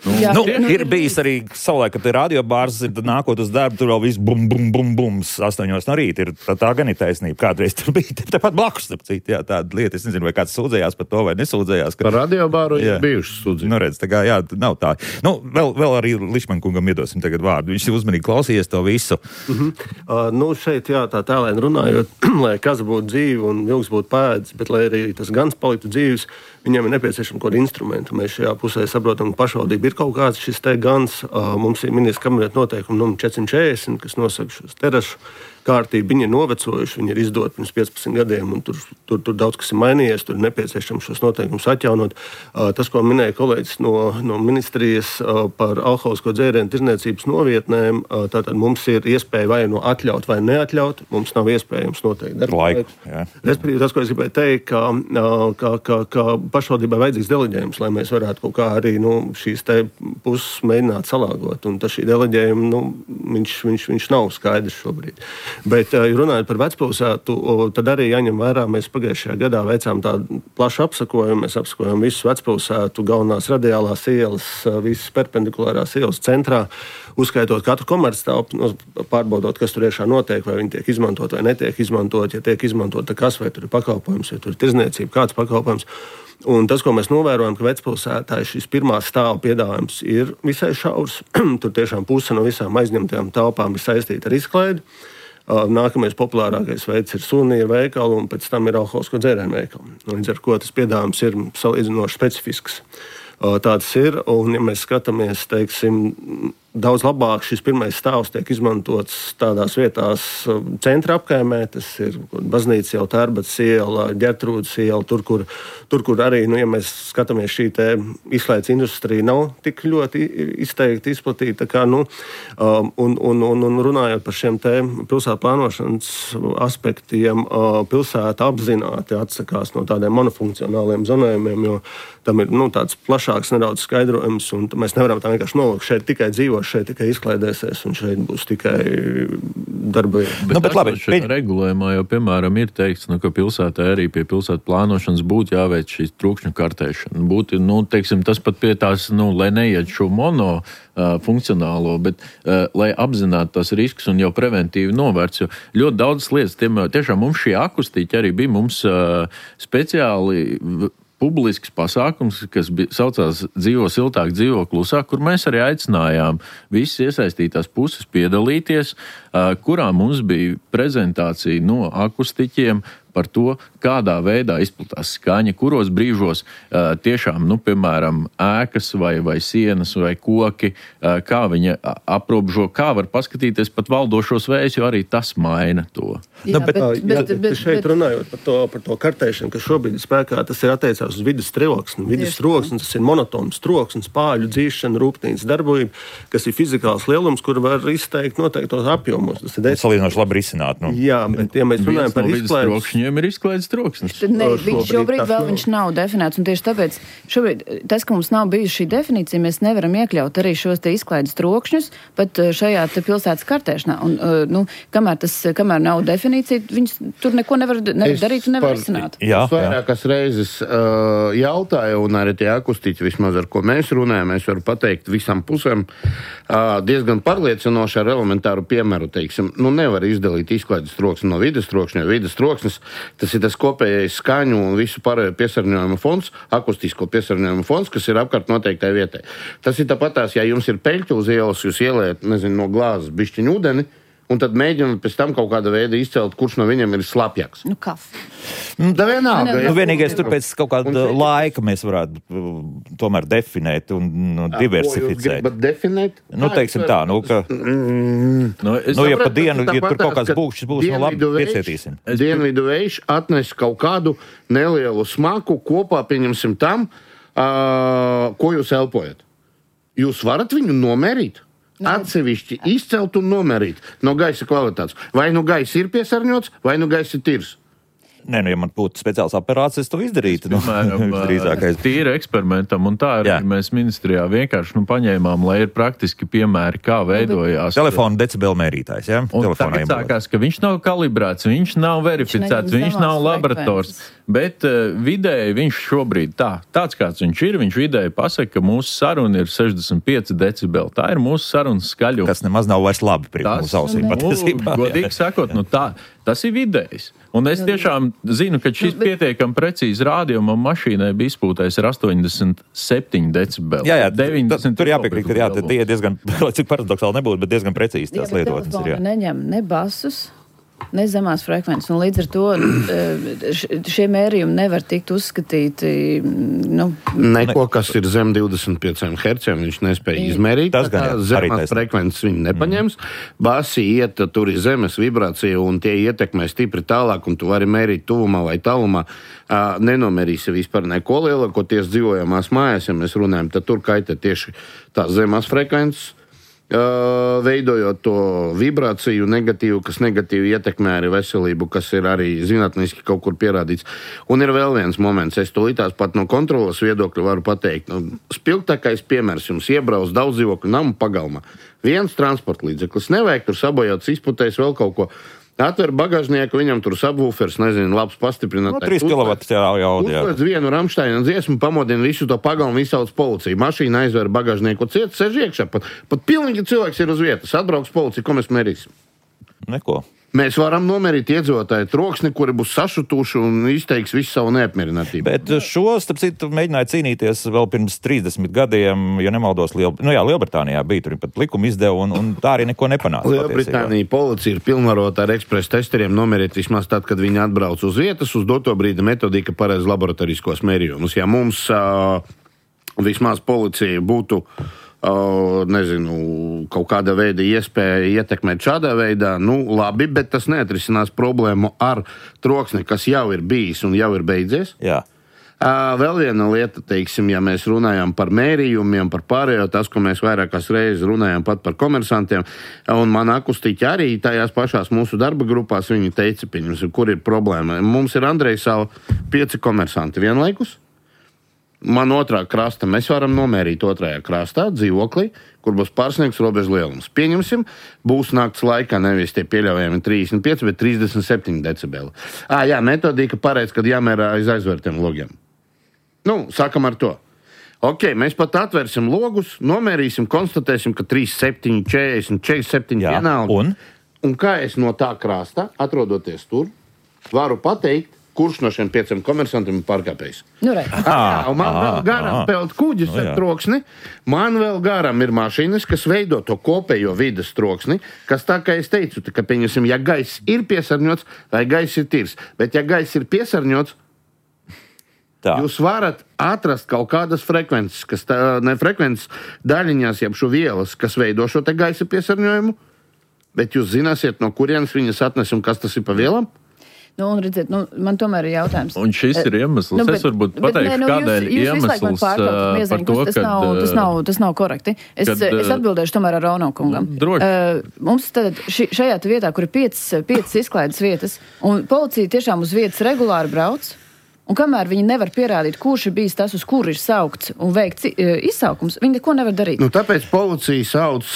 A: Nu, Jā, nu, nu, ir bijis arī savulaik, kad ir radiobārs, ir nākot uz darbu, tur vēl viss bum, bum, bum, bums, astoņos no rīta. Ir, tā, tā gan ir taisnība. Kādreiz tur bija tepat blakus, cīt, jā, tāda lieta. Es nezinu, vai kāds sūdzējās par to, vai nesūdzējās. Ka...
B: Par radiobāru ir bijušas sūdzības.
A: Nu, redz, tā kā, jā, nav tā. Nu, vēl, vēl arī Lišmankungam iedosim tagad vārdu. Viņš ir uzmanīgi klausījies to visu.
E: Mm-hmm. Uh, nu, šeit, jā, tā tēlēn runājot, lai kas būtu dzīvi un vilks būtu pēdis, bet lai arī tas gans paliktu dzīves, viņiem ir nepieciešama kaut kāda instrumenta. Mēs šajā pusē saprotam, ka pašvaldība ir kaut kāds šis te gans. Uh, mums ir ministra kabineta noteikumi numur četri četrdesmit, kas nosaka šos terašu kārtību. Viņi ir novecojuši, viņi ir izdoti pirms piecpadsmit gadiem, un tur, tur, tur daudz kas ir mainījies, tur ir nepieciešams šos noteikumus atjaunot. Uh, tas, ko minēja kolēģis no, no ministrijas uh, par alkoholisko dzērienu tirdzniecības novietnēm, uh, tātad mums ir iespēja vai no atļaut vai neatļaut, mums nav iespējams noteikti
A: laiku.
E: Respektīvi, tas, ko es gribēju teikt, ka, uh, ka, ka, ka pašvaldībai vajadzīgs deleģējums, lai mēs varētu kaut kā arī nu, šīs te puses mēģināt salāgot, un tas šī deleģējuma, nu, viņš, viņš, viņš nav skaidrs šobrīd. Bet, ja runājot par vecpilsētu, tad arī jāņem vērā, mēs pagājušajā gadā veicām tādu plašu apsakojumu. Mēs apsakojam visu vecpilsētu, galvenās radiālās ielas, visas perpendikulārās ielas centrā, uzskaitot katru komerctelpu, pārbaudot, kas tur iekšā notiek, vai viņi tiek izmantot vai netiek izmantot. Ja tiek izmantot, tad kas, vai tur ir pakalpojums, vai tur ir tirdzniecība, kāds pakalpojums. Un tas, ko mēs novērojam, ka vecpilsētā šis pirmā stāva piedāvājums ir visai šaurs. Tur tiešām puse no visām aizņemtajām telpām ir saistīta ar izklaidi. Nākamais populārākais veids ir suvenīru veikali, un pēc tam ir alkoholisko dzērienu veikali. Līdz ar ko tas piedāvājums ir salīdzinoši specifisks. Tāds ir, un ja mēs skatāmies, teiksim, daudz labāk šis pirmais stāvs tiek izmantots tādās vietās centra apkaimē, tas ir Baznīca iela, Tērbats iela, Ģertrūdes iela, tur, kur, tur, kur arī, nu, ja mēs skatāmies, šī te izklaides industrija nav tik ļoti izteikti izplatīta, kā, nu, un, un, un, un runājot par šiem te pilsētu plānošanas aspektiem, pilsēta apzināti atsakās no tādiem monofunkcionāliem zonējumiem, jo tam ir, nu, tāds plašāks nedaudz skaidrojums, un mēs nevaram tā vienkārši nolikt, šeit tikai dzīvo, šeit tikai izklaidēsies, un šeit būs tikai darba vieta.
D: Bet, nu, bet labi, šeit regulējumā jau, piemēram, ir teikts, nu, ka pilsētā arī pie pilsētu plānošanas būtu jāveic šīs trūkšņu kartēšana. Būtu, nu, teiksim, tas pat pie tās, nu, lai neiet šo mono uh, funkcionālo, bet uh, lai apzinātu tās riskus un jau preventīvi novērts, jo ļoti daudz lietas, tiem, tiešām mums šī akustiķi arī bija mums uh, speciāli publisks pasākums, kas bija, saucās Dzīvo siltāk, dzīvo klusāk, kur mēs arī aicinājām visas iesaistītās puses piedalīties, kurā mums bija prezentācija no akustiķiem par to, kādā veidā izplatās skaņa, kuros brīžos uh, tiešām, nu, piemēram, ēkas vai, vai sienas vai koki, uh, kā viņa aprobežo, kā var paskatīties pat valdošos vējus, jo arī tas maina to.
C: Jā, bet, bet, bet,
E: bet, bet šeit runājot par to, par to kartēšanu, kas šobrīd ir spēkā, tas ir attiecās uz vidas troksni. Vidas troksnis, tas ir monotons troksnis, pāļu dzīšana, rūpnīcas darbība, kas ir fizikāls lielums, kur var izteikt noteiktos apjomos. Tas ir
A: salīdzinoši labi risināt. Nu.
E: Jā, bet ja mēs runājam par izklaides...
D: Viņiem ir izklaides troksnis.
C: Ne, viņš šobrīd vēl nav. Viņš nav definēts, un tieši tāpēc šobrīd tas, ka mums nav bijusi šī definīcija, mēs nevaram iekļaut arī šos te izklaides trokšņus pat šajā te pilsētas kartēšanā. Un, nu, kamēr, tas, kamēr nav definīcija, viņš tur neko nevar, nevar darīt un nevar risināt.
B: Jā, es vairākas reizes uh, jautāju, un arī tie akustiķi vismaz, ar ko mēs runājam, es varu pateikt visam pusēm uh, diezgan pārliecinoši ar elementāru piemēru, teiksim, nu nevar izdalīt izklaides troksni no vides trokšņa, jo vides troksnis tas ir tas kopējais skaņu un visu pārējo piesārņojumu fonds, akustisko piesārņojumu fonds, kas ir apkārt noteiktai vietai. Tas ir tāpatās, ja jums ir peļķi uz ielas, jūs ielējat, nezinu, no glāzes bišķiņu ūdeni, un tad mēģināt pēc tam kaut kāda veida izcelt, kurš no viņiem ir slapjāks.
C: Nu, kas?
B: Da vienalga.
A: Nu, vienīgais tur pēc kaut kāda un, laika mēs varētu tomēr definēt un nu, diversificēt.
B: Bet definēt?
A: Nu, teiksim tā, nu, ka...
B: Mm.
A: Nu, nu ja pa dienu, ja tur kaut kāds būkšķis būs, nu labi, piecietīsim.
B: Dienvidu vējš atnes kaut kādu nelielu smaku kopā, pieņemsim tam, uh, ko jūs elpojat? Jūs varat viņu nomērīt? Atsevišķi izcelt un nomērīt no gaisa kvalitātes. Vai nu gaisa ir piesārņots, vai nu gaisa ir tīrs.
A: Nē, nu, ja man būtu speciāls aparāts, es to izdarītu. Nu,
D: drīzākais. Tīri eksperimentam, un tā arī mēs ministrijā vienkārši nu, paņēmām, lai ir praktiski piemēri, kā veidojās.
A: Telefona decibelu mērītājs, jā?
D: Un tagad sākās, ka viņš nav kalibrēts, viņš nav verificēts, viņš, viņš nav laborators, bet uh, vidēji viņš šobrīd tā, tāds kāds viņš ir, viņš vidēji pasaka, ka mūsu saruna ir sešdesmit pieci decibeli. Tā ir mūsu sarunas skaļuma.
A: Kas nemaz nav vairs labi priekš mūsu ausīm.
D: Nu, godīgi sakot, nu tā, tas ir vidējs. Un es tiešām zinu, ka šis pietiekami precīzi rādījumam mašīnai bija izpūtais ar astoņdesmit septiņi decibeli.
A: Jā, jā,
D: deviņdesmit
A: tur jāpiekrīt, ka jā, tie ir diezgan, cik paradoksāli nebūtu, bet diezgan precīzi tās lietotnes ir. Jā.
C: Neņem ne basus, ne zemās frekvences, un līdz ar to šie mērījumi nevar tikt uzskatīti. Nu,
B: Neko, kas ir zem divdesmit pieciem herciem, viņš nespēja izmērīt.
A: Tas gan, jā,
B: zemās frekvences viņi nepaņems. Mm. Basi iet, tur ir zemes vibrācija, un tie ietekmē stipri tālāk, un tu vari mērīt tuvumā vai tālumā. Uh, nenomērīsi vispār neko lielākoties dzīvojamās mājās, ja mēs runājam, tad tur kaitē tieši tās zemās frekvences. Uh, veidojot to vibrāciju negatīvu, kas negatīvi ietekmē arī veselību, kas ir arī zinātniski kaut kur pierādīts. Un ir vēl viens moments, es tūlītās pat no kontrolas viedokļa varu pateikt. Nu, spilgtākais piemērs jums iebrauc daudz dzīvokļu namu pagalmā. Viens transporta līdzeklis, nevajag tur sabojāts, izputējis vēl kaut ko. Atver bagāžnieku, viņam tur subwoofers, nezinu, labs pastiprinātājs.
A: No, trīs kilovati jau jau.
B: Uzliec vienu Rammsteina dziesmu, pamodina visu to pagalmu, visauc policiju. Mašīna aizver bagāžnieku ciet, sež iekšā. Pat, pat pilnīgi cilvēks ir uz vietas. Atbrauks policija, ko mēs mērīsim?
A: Neko.
B: Mēs varam nomērīt iedzīvotāju troksni, kuri būs sašutuši un izteiks visu savu neapmierinātību.
A: Bet šo, starp citu, mēģināja cīnīties vēl pirms trīsdesmit gadiem, ja nemaldos, Liel... nu jā, Lielbritānijā bija, tur pat likumu izdeva, un, un tā arī neko nepanāca.
B: Lielbritānija policija ir pilnvarota ar ekspresa testeriem nomērīt vismaz tad, kad viņi atbrauc uz vietas, uz doto brīdi metodika pareiz laboratoriskos mērījumus. Ja mums uh, vismaz policija būtu Uh, nezinu, kaut kāda veida iespēja ietekmēt šādā veidā, nu labi, bet tas neatrisinās problēmu ar troksni, kas jau ir bijis un jau ir beidzies.
A: Jā.
B: Uh, vēl viena lieta, teiksim, ja mēs runājam par mērījumiem, par pārējo, tas, ko mēs vairākās reizes runājam pat par komersantiem, un man akustiķi arī tajās pašās mūsu darba grupās, viņi teica, pieņemsim, kur ir problēma. Mums ir Andrejsala pieci komersanti vienlaikus. Man otrā krasta, mēs varam nomērīt otrajā krastā dzīvoklī, kur būs pārsniegts robežu lielums. Pieņemsim, būs nakts laikā nevis tie pieļaujami trīsdesmit pieci, bet trīsdesmit septiņi decibeli. Ā, jā, metodika pareiz, kad jāmērā aiz aizvērtiem logiem. Nu, sākam ar to. Ok, mēs pat atvērsim logus, nomērīsim, konstatēsim, ka trīsdesmit septiņi, četrdesmit, četrdesmit septiņi vienalga.
A: Un?
B: Un kā es no tā krasta, atrodoties tur, varu pateikt, kurš no šiem pieciem komersantiem ir pārkāpējis.
C: Nu,
B: ah, man ah, vēl garām ah, peld kuģis nu, ar troksni, man vēl garām ir mašīnas, kas veido to kopējo vides troksni, kas tā kā es teicu, ka, pieņemsim, ja gaiss ir piesārņots, vai gaiss ir tīrs, bet ja gaiss ir piesārņots, tā. Jūs varat atrast kaut kādas frekvences, kas tā, ne frekvences daļiņās, jeb šo vielas, kas veido šo te gaisa piesārņojumu, bet jūs zināsiet, no kurienes viņas atnes un kas tas ir pa vielām?
C: Nu, un redziet, nu, man tomēr ir jautājums.
D: Un šis ir iemesls. Nu, bet, es varbūt pateikšu, nu, kādēļ jūs, jūs iemesls uh, par to,
C: tas, nav,
D: kad,
C: tas, nav, tas nav korekti. Es, kad, es atbildēšu tomēr ar Rono kungam.
D: Droši.
C: Uh, mums tad ši, šajā vietā, kur ir piecas, piecas izklaides vietas, un policija tiešām uz vietas regulāri brauc, un kamēr viņi nevar pierādīt, kurš ir bijis tas, uz kuru ir saukts un veikts izsaukums, viņi neko nevar darīt.
B: Nu, tāpēc policija sauc,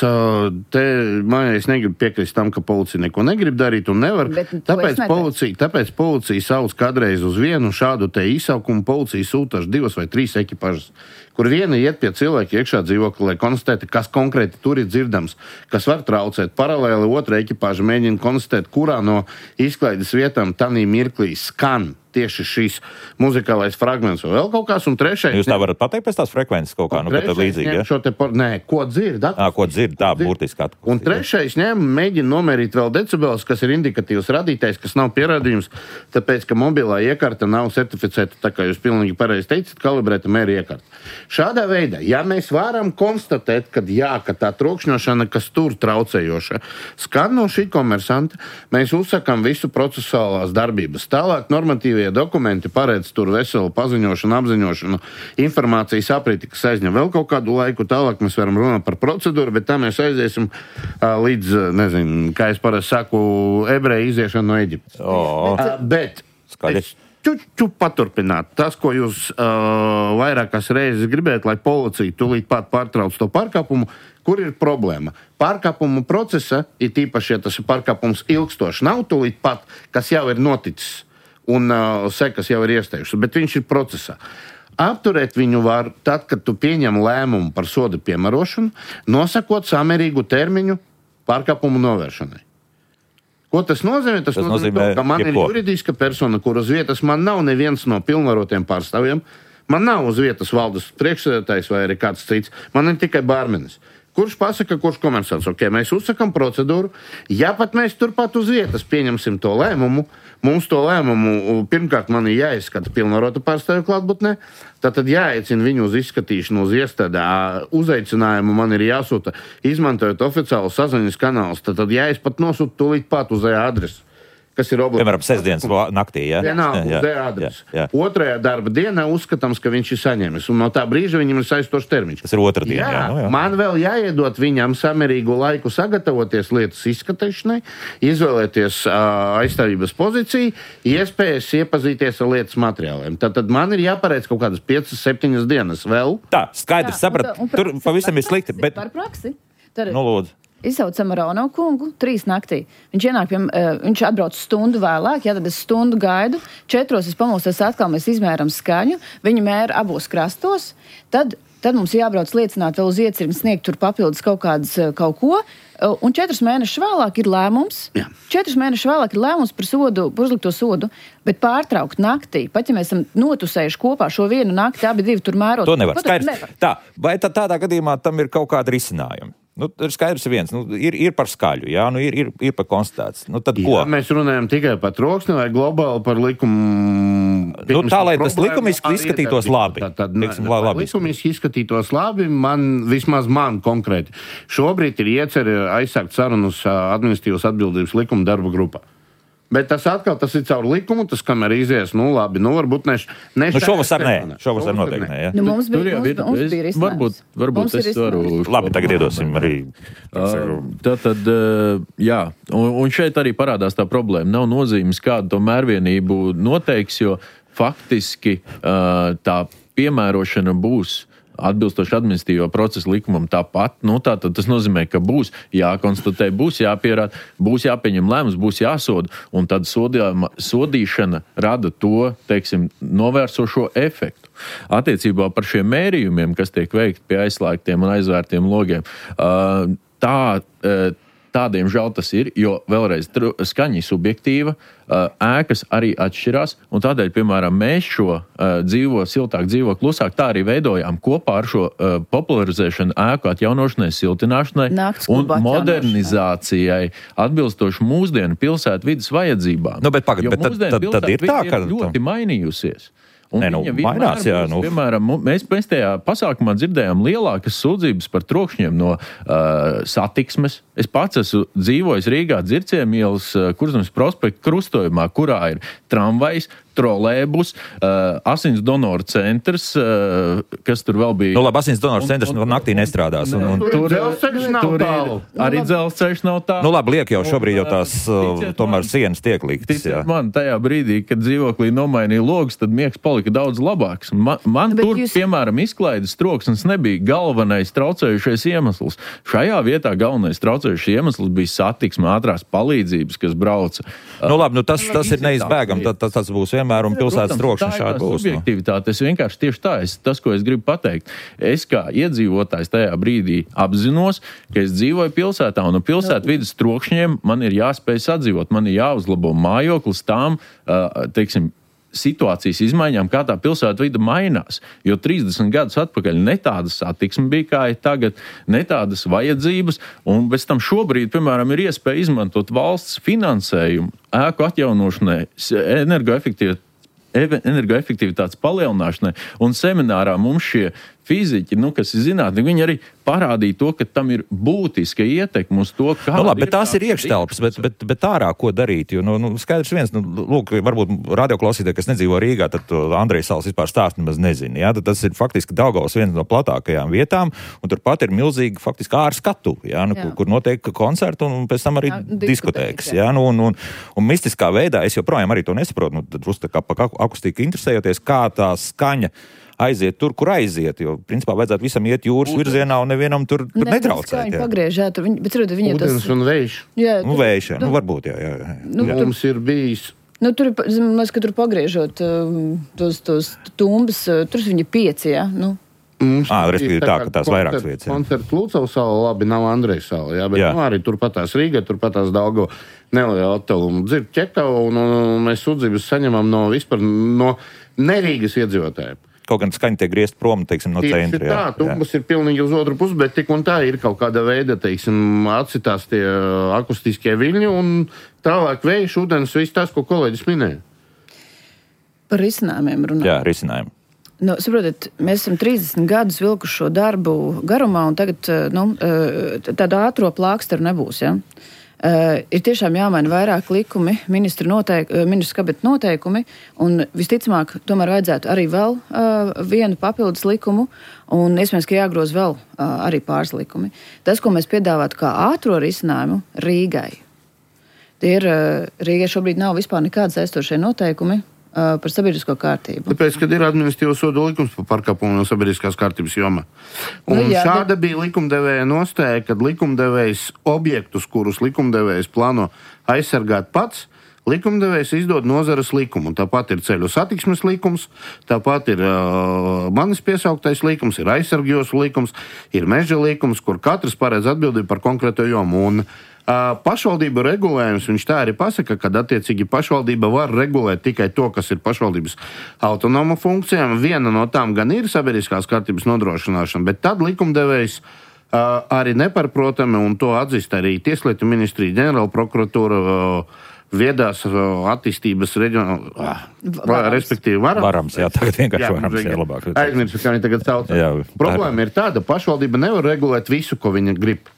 B: te, man es negribu piekrist tam, ka policija neko negrib darīt un nevar. Bet, tāpēc, policija, tāpēc policija sauc kādreiz uz vienu šādu te izsaukumu, policija sūtaši divas vai trīs ekipāžas, kur viena iet pie cilvēka iekšā dzīvokli, lai konstatētu, kas konkrēti tur ir dzirdams, kas var traucēt. Paralēli otra ekipāža mēģina konstatēt, kurā no izklaides vietām tanī mirklī skan tieši šīs muzikālais fragments vai vēl kaut kāds, un trešais...
A: Jūs tā varat pateikt pēc tās frekvences kaut kā, nu, ka tad līdzīgi, ja?
B: Šo te par... Nē, ko dzird?
A: Ā, ko dzird, tā, burtiski atpūst.
B: Un trešais ņem, mēģina nomērīt vēl decibelus, kas ir indikatīvs radītājs, kas nav pierādījums, tāpēc, ka mobilā iekarta nav certificēta, tā kā jūs pilnīgi pareizi teicat, kalibrēta mēri iekarta. Šādā veidā, ja mēs varam konstatēt, ka jā, ka tā trokšņošana, kas tur traucējoša, skan no šī komersanta, mēs uzsakām visu procesuālās darbības. Tālāk normatīvie dokumenti paredz tur veselu paziņošanu, apziņošanu, informācijas apriti, kas aizņem vēl kaut kādu laiku. Tālāk mēs varam runāt par procedūru, bet tā mēs aiziesim uh, līdz, nezinu, kā es parasti saku, ebreju iziešanu no Eģiptes.
A: Oh.
B: Uh, bet
A: Skaļi.
B: es čuču paturpināt. Tas, ko jūs uh, vairākas reizes gribētu, lai policija tūlīt pat pārtrauc to pārkāpumu, kur ir problēma? Pārkāpumu procesa, ir tīpaši, ja tas ir pārkāpums ilgstoši, nav tūlīt pat, kas jau ir noticis un uh, sekas jau ir iesteikušas, bet viņš ir procesā. Apturēt viņu var tad, kad tu pieņem lēmumu par soda piemērošanu, nosakot samērīgu termiņu pārkāpumu novēršanai. Ko tas nozīmē? Tas, tas nozīmē, nozīmē to, ka man jebko. Ir juridiska persona, kur uz vietas man nav neviens no pilnvarotiem pārstāvjiem, man nav uz vietas valdes priekšsēdētājs vai arī kāds cits, man ir tikai bārmenis. Kurš pasaka, kurš komersants? Ok, mēs uzsakam procedūru, ja pat mēs turpat uz vietas pieņemsim to lēmumu, mums to lēmumu pirmkārt man ir jāizskata pilnvarota pārstāvju klātbūtnē, tad jāaicina viņu uz izskatīšanu uz iestādā, uzaicinājumu man ir jāsūta, izmantojot oficiālu saziņas kanālus, tad jāiz pat nosūta tūlīt pat uz adresi. Kas ir obligāti.
A: Piemēram, sestdienas naktī, jā?
B: Vienalga, uz adresi. Otrajā darba dienā uzskatāms, ka viņš ir saņēmis, un no tā brīža viņam ir saistošs termiņš.
A: Tas ir otra diena, jā,
B: jā,
A: nu, jā.
B: Man vēl jāiedot viņam samērīgu laiku sagatavoties lietas izskatīšanai, izvēlēties uh, aizstāvības pozīciju, iespējas iepazīties ar lietas materiāliem. Tad, tad man ir jāpareic kaut kādas piecas, septiņas dienas vēl.
A: Tā, skaidrs, saprat,
C: un, un, un,
A: tur pavisam ir slikti, bet...
C: Par praksi. Tad...
A: Nu, lūdzu.
C: Izsaucam Rono kungu trīs naktī. Viņš ienāk, pie, uh, viņš atbrauc stundu vēlāk, ja tad es stundu gaidu, četros es pamostos atkal, mēs izmēram skaņu, viņi mēra abos krastos, tad, tad mums jābrauc liecināt vēl uz iecirmi sniegt tur papildus kaut kādas, kaut ko, uh, un četrus mēnešus vēlāk ir lēmums, Jā. četrus mēnešus vēlāk ir lēmums par sodu, par uzlikto sodu, bet pārtraukt naktī, pat ja mēs esam notusējuši kopā šo vienu nakti, abi divi tur mērot.
A: To nevar, skaidrs. Tā, vai tad tādā gadījumā tam ir kaut kāda risinājuma? Nu, ir skaidrs viens, nu, ir, ir par skaļu, jā, nu, ir, ir, ir par konstatēts. Nu, tad ko?
B: Jā, mēs runājam tikai par troksni vai globāli par likumu.
A: Nu, tā, lai tas likumiski izskatītos labi.
B: Tā, tad,
A: Liksim, lai labi.
B: Likumiski izskatītos labi, man, vismaz man konkrēti. Šobrīd ir ieceri aizsākt sarunas administratīvas atbildības likuma darba grupā. Bet tas atkal tas ir caur likumu, tas kamēr izies, nu labi, nu varbūt ne... ne
A: nu šovasar nē, šovasar noteikti nē, jā.
C: Nu mums bija, mums,
D: ir,
C: mums bija risinājums.
D: Varbūt, varbūt es varu...
A: Labi, tagad iedosim arī...
D: Uh, tad, tad, uh, jā, un, un šeit arī parādās tā problēma. Nav nozīmes, kādu to mērvienību noteiks, jo faktiski uh, tā piemērošana būs atbilstoši administratīvo procesu likumam tāpat. Nu, tā, tas nozīmē, ka būs jākonstatē, būs jāpierāda, būs jāpieņem lēmums, būs jāsoda, un tad sodījuma, sodīšana rada to, teiksim, novērsošo efektu. Attiecībā par šiem mērījumiem, kas tiek veikti pie aizslēgtiem un aizvērtiem logiem, tā... Tādiem žēl tas ir, jo vēlreiz skaņa subjektīva, ēkas arī atšķirās, un tādēļ, piemēram, mēs šo dzīvo siltāk, dzīvo klusāk, tā arī veidojām kopā ar šo popularizēšanu ēku atjaunošanai, siltināšanai un modernizācijai atbilstoši mūsdienu pilsētu vidas vajadzībām.
A: Nu, bet pagad, bet tad, tad, tad ir tā, ka...
D: ir ļoti mainījusies. Un
A: Nē, nu, mainās, jā,
D: būs,
A: nu.
D: Piemēram, mēs, mēs tajā pasākumā dzirdējām lielākas sūdzības par trokšņiem no uh, satiksmes. Es pats esmu dzīvojis Rīgā Dzirciemu ielas uh, Kurzemes prospekta krustojumā, kurā ir tramvajs, trolēbus, uh, asins donoru centrs, uh, kas tur vēl bija.
A: Nu, labi, asins donoru centrs un, un, naktī nestrādās. Un, un,
B: tur dzelzceļš nav tālu.
D: Arī dzelzceļš nav tālu.
A: Nu, labi, liek jau šobrīd jau tās uh, tomēr man, sienas tiek liktas.
D: Ticiet man, tajā brīdī, kad dzīvoklī nomainīja logus, tad miegs palika daudz labāks. Man, man tur, jūs... piemēram, izklaides troksnis nebija galvenais traucējušais iemesls. Šajā vietā galvenais traucējušais iemesls bija satiksme, ātrās palīdzības, kas brauca.
A: Nu, labi, nu, tas, tas ir neizbēgam, tad, tas, tas būs vienmēr. Un pilsētas trokšņa šādi būs.
D: Subjektivitāte, es vienkārši tieši tā, es, tas, ko es gribu pateikt. Es kā iedzīvotājs tajā brīdī apzinos, ka es dzīvoju pilsētā, un pilsētu vidas trokšņiem man ir jāspēj sadzīvot, man ir jāuzlabo mājoklis tām, teiksim, situācijas izmaiņām, kā tā pilsētu vida mainās. Jo trīsdesmit gadus atpakaļ ne tāda satiksme bija, kā ir tagad, ne tādas vajadzības, un bez tam šobrīd, piemēram, ir iespēja izmantot valsts finansējumu ēku atjaunošanai, energoefektivitātes energoefektivitātes palielināšanai, un seminārā mums šie fiziķi, nu, kas ir zinātni, viņi arī parādīja to, ka tam ir būtiska ietekme uz to, kā...
A: Nu, labi, bet tās ir iekštelpas, bet, bet, bet ārā ko darīt? Jo, nu, nu, skaidrs viens, nu, lūk, varbūt radioklausītāji, kas nedzīvo Rīgā, tad Andrejas salas vispār stāstu nemaz nezina. Jā? Tad tas ir faktiski Daugavas viena no platākajām vietām, un turpat ir milzīgi faktiski ārskatu, jā, nu, jā. Kur, kur notiek koncerti un pēc tam arī jā, diskotēkas. Jā. Jā, nu, un, un, un mistiskā veidā es joprojām arī to nesaprotu, nu, tad uz tā kā pa akustiku interesējoties, kā tā skaņa aiziet tur, kur aiziet, jo, principā, vajadzētu visam iet jūras Ūdens. virzienā un nevienam tur, tur ne, netraucēt.
C: Viņi pagriež, jā, tur viņi, bet tur viņi
B: Ūdens
C: tas...
B: un vējš.
C: Jā,
A: nu, vējš, jā, nu, varbūt, jā, jā. jā.
B: Nu, jā. Mums ir bijis...
C: Nu, tur, mēs, ka tur pagriežot tos, tos tumbas, tur viņi pieci, jā, nu.
B: Mums
A: à, respektīvi tā, ka tās vairākas vietas.
B: Koncerts Lūcavas sala, labi, nav Andrejas sala, jā, bet jā. Nu, arī turpatās Rīga, turpatās Daugava neliela attāluma. Dzird ķekava un, un mēs sudzības saņemam no vispār no nerīgas iedzīvotājiem.
A: Kaut gan skaņa tiek griezt prom, teiksim, no
B: Tieši
A: centra.
B: Tā, tumbas ir pilnīgi uz otru pusi, bet tik un tā ir kaut kāda veida, teiksim, atsitās tie akustiskie viļņi un tālāk vējš, ūdens, viss tas, ko kolēģis minēja.
C: Par risinājumiem runāt.
A: Jā, risinājumi.
C: Nu, saprotiet, mēs esam trīsdesmit gadus vilkuši šo darbu garumā, un tagad nu, tāda ātro plāksteru nebūs. Ja? Uh, ir tiešām jāmaina vairāk likumi, ministru, noteik, ministru kabineta noteikumi, un visticamāk, tomēr vajadzētu arī vēl uh, vienu papildus likumu, un iespējams, ka jāgroz vēl uh, arī pāris likumi. Tas, ko mēs piedāvātu kā ātro risinājumu Rīgai, tie ir, uh, Rīgai šobrīd nav vispār nekādas aizstošie noteikumi par sabiedrisko kārtību.
B: Tāpēc, kad ir administratīvo sodu likums par pārkāpumu no sabiedriskās kārtības jomā. Un nu, jā, šāda bet... bija likumdevēja nostāja, kad likumdevējs objektus, kurus likumdevējs plāno aizsargāt pats, likumdevējs izdod nozares likumu. Tāpat ir ceļu satiksmes likums, tāpat ir uh, manis piesauktais likums, ir aizsargjos likums, ir meža likums, kur katrs paredz atbildību par konkrēto jomu. Un Uh, pašvaldību regulējums, viņš tā arī pasaka, ka attiecīgi pašvaldība var regulēt tikai to, kas ir pašvaldības autonoma funkcijām. Viena no tām gan ir sabiedriskās kārtības nodrošināšana, bet tad likumdevējs uh, arī neparprotami, un to atzīst arī Tieslietu ministrija, ģenerāla prokuratūra, uh, viedās uh, attīstības reģionā, uh, respektīvi varams.
A: Varams, jā, tagad vienkārši jā, varams, jā, labāk.
B: Aizmirsu, kā viņi tagad sauc. Problēma ir tāda, pašvaldība nevar regulēt visu, ko viņa grib.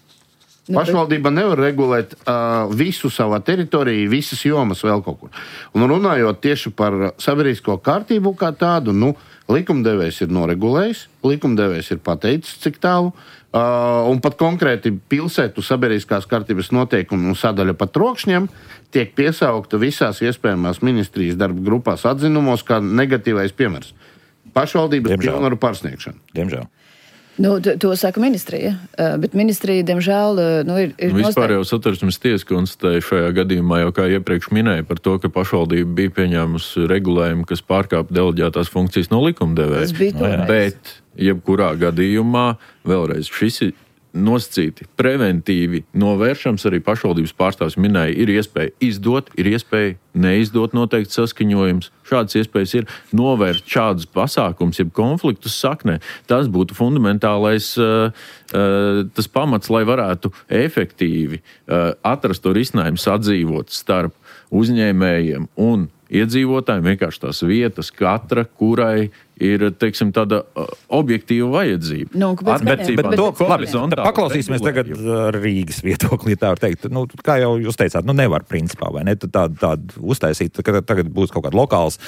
B: Pašvaldība nevar regulēt uh, visu savā teritorijā, visas jomas vēl kaut kur. Un runājot tieši par sabiedrisko kārtību kā tādu, nu, likumdevējs ir noregulējis, likumdevējs ir pateicis, cik tālu, uh, un pat konkrēti pilsētu sabiedriskās kārtības noteikumu un sadaļa par trokšņiem tiek piesaukta visās iespējamās ministrijas darba grupās atzinumos kā negatīvais piemērs. Pašvaldības pilnvaru pārsniegšana.
A: Diemžēl.
C: Nu, to saka ministrija, bet ministrija, diemžēl, nu, ir... ir
D: Vispār jau Satversmes tiesa konstatēja šajā gadījumā, jau kā iepriekš minēja, par to, ka pašvaldība bija pieņēmusi regulējumu, kas pārkāpa deleģētās funkcijas no likumdevēja.
C: Tas bija toreiz.
D: Bet, jebkurā gadījumā, vēlreiz, šis ir nosacīti preventīvi novēršams, arī pašvaldības pārstāvs minēja, ir iespēja izdot, ir iespēja neizdot noteikti saskaņojums. Šādas iespējas ir novērst šādus pasākums, jeb konfliktus saknē. Tas būtu fundamentālais uh, uh, tas pamats, lai varētu efektīvi uh, atrast to risinājumu sadzīvot starp uzņēmējiem un iedzīvotājiem, vienkārši tās vietas, katra, kurai ir, teiksim, tāda uh, objektīva vajadzība.
C: Nu, bet, bet, bet,
A: bet, to, labi, paklausīsimies tagad Rīgas viedoklī, tā var teikt. Nu, kā jau jūs teicāt, nu nevar principā, vai ne? Tādu tād uztaisīt, ka tagad būs kaut kāda lokāls,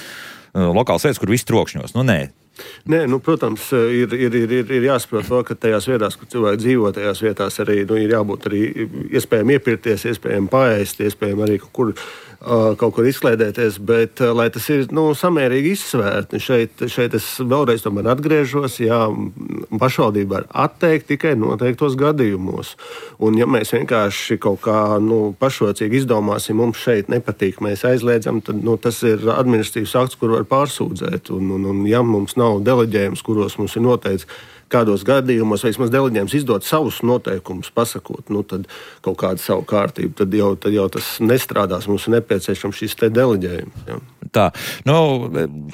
A: lokāls vietas, kur viss trokšņos. Nu, nē.
E: Nē, nu, protams, ir, ir, ir, ir jāsaprot to, ka tajās vietās, kur cilvēki dzīvo, tajās vietās arī nu, ir jābūt arī iespējami iepirkties, iespējami paēst, iespējami arī kaut kur, uh, kaut kur izklēdēties, bet uh, lai tas ir nu, samērīgi izsvērti. Šeit, šeit es vēlreiz tomēr atgriežos, jā, pašvaldība var atteikt tikai noteiktos gadījumos. Un ja mēs vienkārši kaut kā nu, pašrocīgi izdomāsim, mums šeit nepatīk, mēs aizliedzam, tad nu, tas ir administratīvs akts, kur var pārsūdzēt. Un, un, un ja mums nav deleģējums, kuros mums ir noteikts, kādos gadījumos vismaz deleģējums izdot savus noteikumus, pasakot, nu tad kaut kādu savu kārtību, tad jau, tad jau tas nestrādās, mums ir nepieciešams šis te deleģējums. Ja.
A: Tā, nu,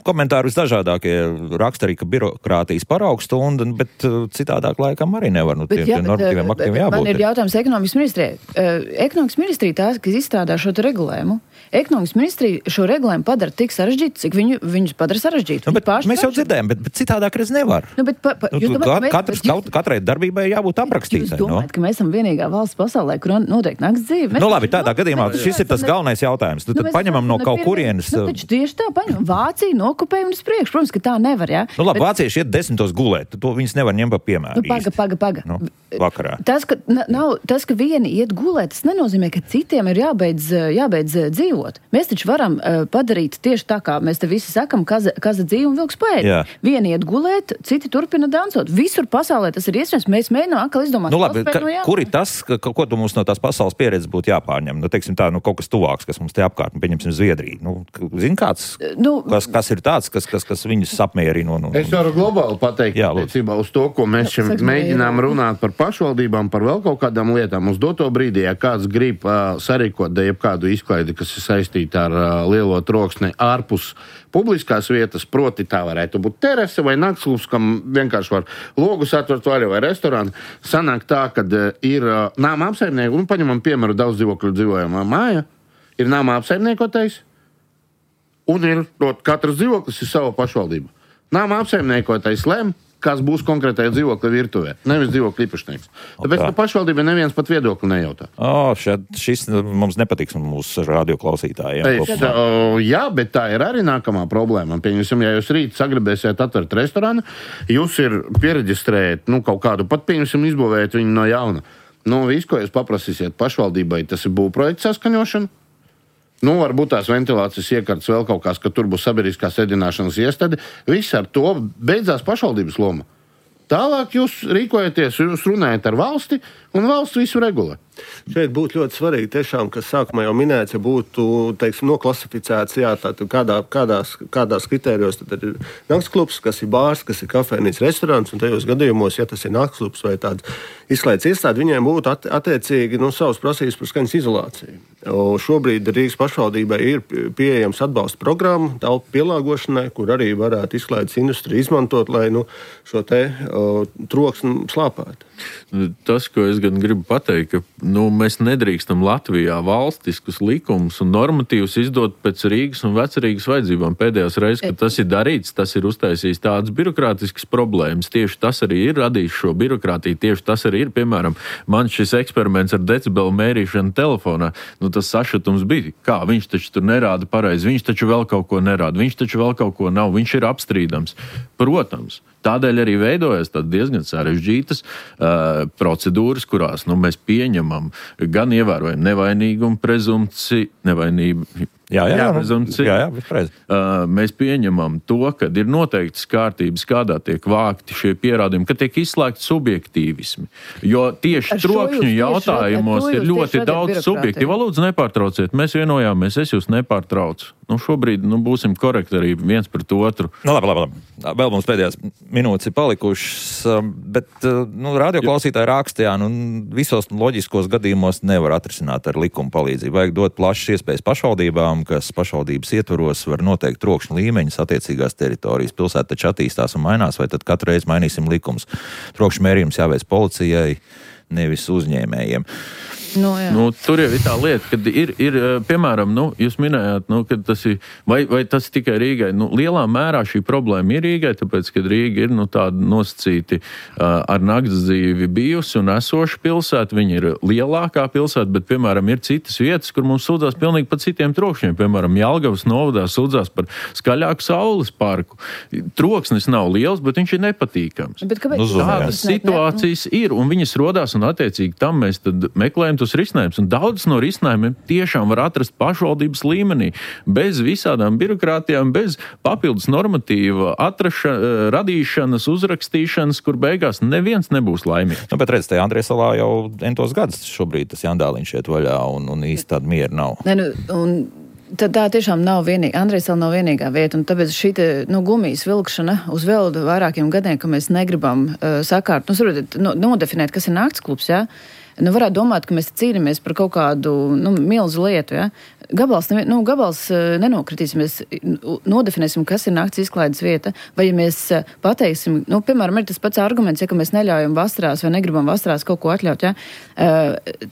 A: komentāri visdažādākie raksta arī, ka birokrātijas paraugs stunda, bet citādāk laikam arī nevar. Nu,
C: bet,
A: tiem,
C: jā,
A: tiem normatīviem aktiem jābūt.
C: Man ir jautājums ekonomikas ministrijai. Uh, ekonomikas ministrija tās, kas izstrādā šo regulējumu, ekonomikas ministrija šo regulējumu padara tik sarežģītu, cik viņu, viņus padara sarežģītu.
A: Nu, bet mēs jau dzirdējam, bet, bet citādāk reiz nevar.
C: Nu, bet, pa, pa,
A: nu,
C: domājat, mēs,
A: katrs,
C: bet,
A: kaut, katrai darbībai jābūt aprakstītai.
C: Jūs domājat, no? Ka mēs esam vienīgā valsts pasaulē, kur notiek nakts dzīve? Mēs
A: nu labi, tādā gadījumā šis ir tas galvenais jautājums. Tad, nu, tad paņemam no kaut kurienes.
C: Nu, taču tieši tā paņemam. Vācija nokupēja un uz priekšu. Protams, ka tā nevar, jā.
A: Nu labi,
C: bet...
A: vācieši iet desmitos gulēt. To viņas nevar ņemt pa piemēru.
C: Nu, paga, paga, paga.
A: Nu, vakarā.
C: Tas, ka, nav, tas, ka vieni iet gulēt, tas nenozīmē, ka citiem ir jābeidz, jābeidz dzīvot. Mēs taču varam uh, padarīt tieši tā, kā mēs te visi sakam, kaza, kaza dzīve un vilks paēd. Vieni iet gulēt, citi turpina dansot. Visur pasaulē tas ir iespējams. Mēs mēģinām atkal izdomāt.
A: Nu labi, ka, no kur ir tas, ka, ko tu mums no tās pasaules pieredzes būtu jāpārņem? Nu, teiksim tā, nu, kaut kas tuvāks, kas mums te apkārt, nu, pieņemsim Zviedriju. Nu, zin kāds, nu, kas, kas ir tāds, kas, kas, kas viņus apmierina? Un, un,
B: es varu globāli pateikt,
A: jā,
B: attiecībā uz to, ko mēs šim mēģinām runāt par pašvaldībām, par vēl kaut kādām lietām. Uz doto brīdī, ja kāds grib uh, sarīkot da jebkādu izklaidi, kas ir saistīta ar uh, lielo troksni ārpus publiskās vietas, proti tā varētu būt terase vai naktsklubs, kam vienkārši var logus atvert vaļā vai restorāni. Sanāk tā, kad uh, ir uh, nāma apsaimnieki, un paņemam piemēru daudz dzīvokļu dzīvojamā māja, ir nāma apsaimniekotais, un ir, prot, katrs dzīvoklis ir sava pašvaldība. Nāma apsaimniekotais lem, kas būs konkrētajā dzīvokļa virtuvē, nevis dzīvokļa īpašnieks. Tāpēc, ka pašvaldība neviens pat viedokli nejautā.
A: O, šad, šis mums nepatiks mūsu radioklausītājiem.
B: Es, o, jā, bet tā ir arī nākamā problēma. Pieņemsim, ja jūs rīt sagribēsiet atvērt restorānu, jūs ir piereģistrējat, nu, kaut kādu, pat pieņemsim, izbūvējat viņu no jauna. Nu, visu, ko jūs paprasīsiet pašvaldībai, tas ir būvprojekta saskaņošana. Nu, varbūt tās ventilācijas iekārtas vēl kaut kāds, ka tur būs sabiedriskās ēdināšanas iestāde. Viss ar to beidzās pašvaldības loma. Tālāk jūs rīkojaties, jūs runājat ar valsti, un valsts visu regulē.
E: Šeit būtu ļoti svarīgi, tiešām, kas sākumā jau minēts, ja būtu, teiksim, noklasificēts, jā, tātad kādā, kādās, kādās kritērijos tad ir naktsklubs, kas ir bārs, kas ir kafejnīca, restorāns, un tajos gadījumos, ja tas ir naktsklubs vai tāds izslēdz iestādi, viņiem būtu at, attiecīgi, nu, savas prasības par skaņas izolāciju. O, šobrīd Rīgas pašvaldībai ir pieejams atbalsta programma telpu pielāgošanai, kur arī varētu izslēdzes industrija izmantot, lai, nu, šo te o, troksni slāpētu.
D: Tas, ko es gan gribu pateikt, ka nu, mēs nedrīkstam Latvijā valstiskus likumus un normatīvus izdot pēc Rīgas un Vecrīgas vajadzībām. Pēdējās reizes, kad tas ir darīts, tas ir uztaisījis tādas birokrātiskas problēmas. Tieši tas arī ir radījis šo birokrātiju. Tieši tas arī ir, piemēram, man šis eksperiments ar decibelu mērīšanu telefonā. Nu, tas sašutums bija. Kā? Viņš taču tur nerāda pareizi. Viņš taču vēl kaut ko nerāda. Viņš taču vēl kaut ko nav. Viņš ir apstrīdams. Protams. Tādēļ arī veidojas diezgan sarežģītas uh, procedūras, kurās nu, mēs pieņemam gan ievērojam nevainīgumu prezumpciju, nevainību.
A: Jā, jā, jā,
D: jā, jā uh, mēs pieņemam to, ka ir noteiktas kārtības, kādā tiek vākti šie pierādījumi, ka tiek izslēgti subjektīvismi. Jo tieši ar trokšņu jautājumos ir ļoti daudz subjektīvu. Lūdzu, nepārtrauciet, mēs vienojāmies, es jūs nepārtraucu. Nu, šobrīd nu, būsim korekti arī viens pret otru.
A: Nu, labi, labi, labi. Vēl mums pēdējās minūtes ir palikušas, bet nu, radioklausītāji rakstījā, nu, visos loģiskos gadījumos nevar atrisināt ar likuma palīdzību. Vajag dot plašas iespējas pašvaldībām, kas pašvaldības ietvaros var noteikt trokšņa līmeņus attiecīgās teritorijas. Pilsēta taču attīstās un mainās, vai tad katru reizi mainīsim likumus. Trokšņa mērījums jāveic policijai, nevis uzņēmējiem.
C: Nu,
D: nu, tur jau ir tā lieta, kad ir, ir piemēram, nu, jūs minējāt, nu, ka tas ir, vai, vai tas tikai Rīgai. Nu, lielā mērā šī problēma ir Rīgai, tāpēc, ka Rīga ir nu, tāda nosacīti uh, ar nakts dzīvi bijusi un esoša pilsēta. Viņa ir lielākā pilsēta, bet, piemēram, ir citas vietas, kur mums sūdzās pilnīgi par citiem trokšņiem. Piemēram, Jelgavas novadā sūdzās par skaļāku saules parku. Troksnis nav liels, bet viņš ir nepatīkams.
C: Bet kāpēc?
D: Tādas situācijas ir, un viņas rodās, un attiecīgi tam mēs tad meklējam tos risinājumus. Un daudzas no risinājumiem tiešām var atrast pašvaldības līmenī, bez visādām birokrātijām, bez papildus normatīva atraša, radīšanas, uzrakstīšanas, kur beigās neviens nebūs laimīgs.
A: Nu, bet redz, te Andriesalā jau entos gadus šobrīd tas Jandāliņš iet vaļā, un, un īsti tāda miera nav.
C: Ne, nu, un... Tad tā tiešām nav vienīgā, Andrejsala nav vienīgā vieta, un tāpēc šī te, nu, gumijas vilkšana uz vēl vairākiem gadiem, ka mēs negribam uh, sakārt, nu, saprotiet, no, nodefinēt, kas ir naktsklubs, jā, nu, varētu domāt, ka mēs cīnāmies par kaut kādu nu, milzu lietu. Ja? Gabals, nu, gabals nenokritīsimies, nodefinēsim, kas ir nakts izklaides vieta, vai ja mēs pateiksim, nu, piemēram, ir tas pats arguments, ja, ka mēs neļaujam vasarās vai negribam vasarās kaut ko atļaut. Ja?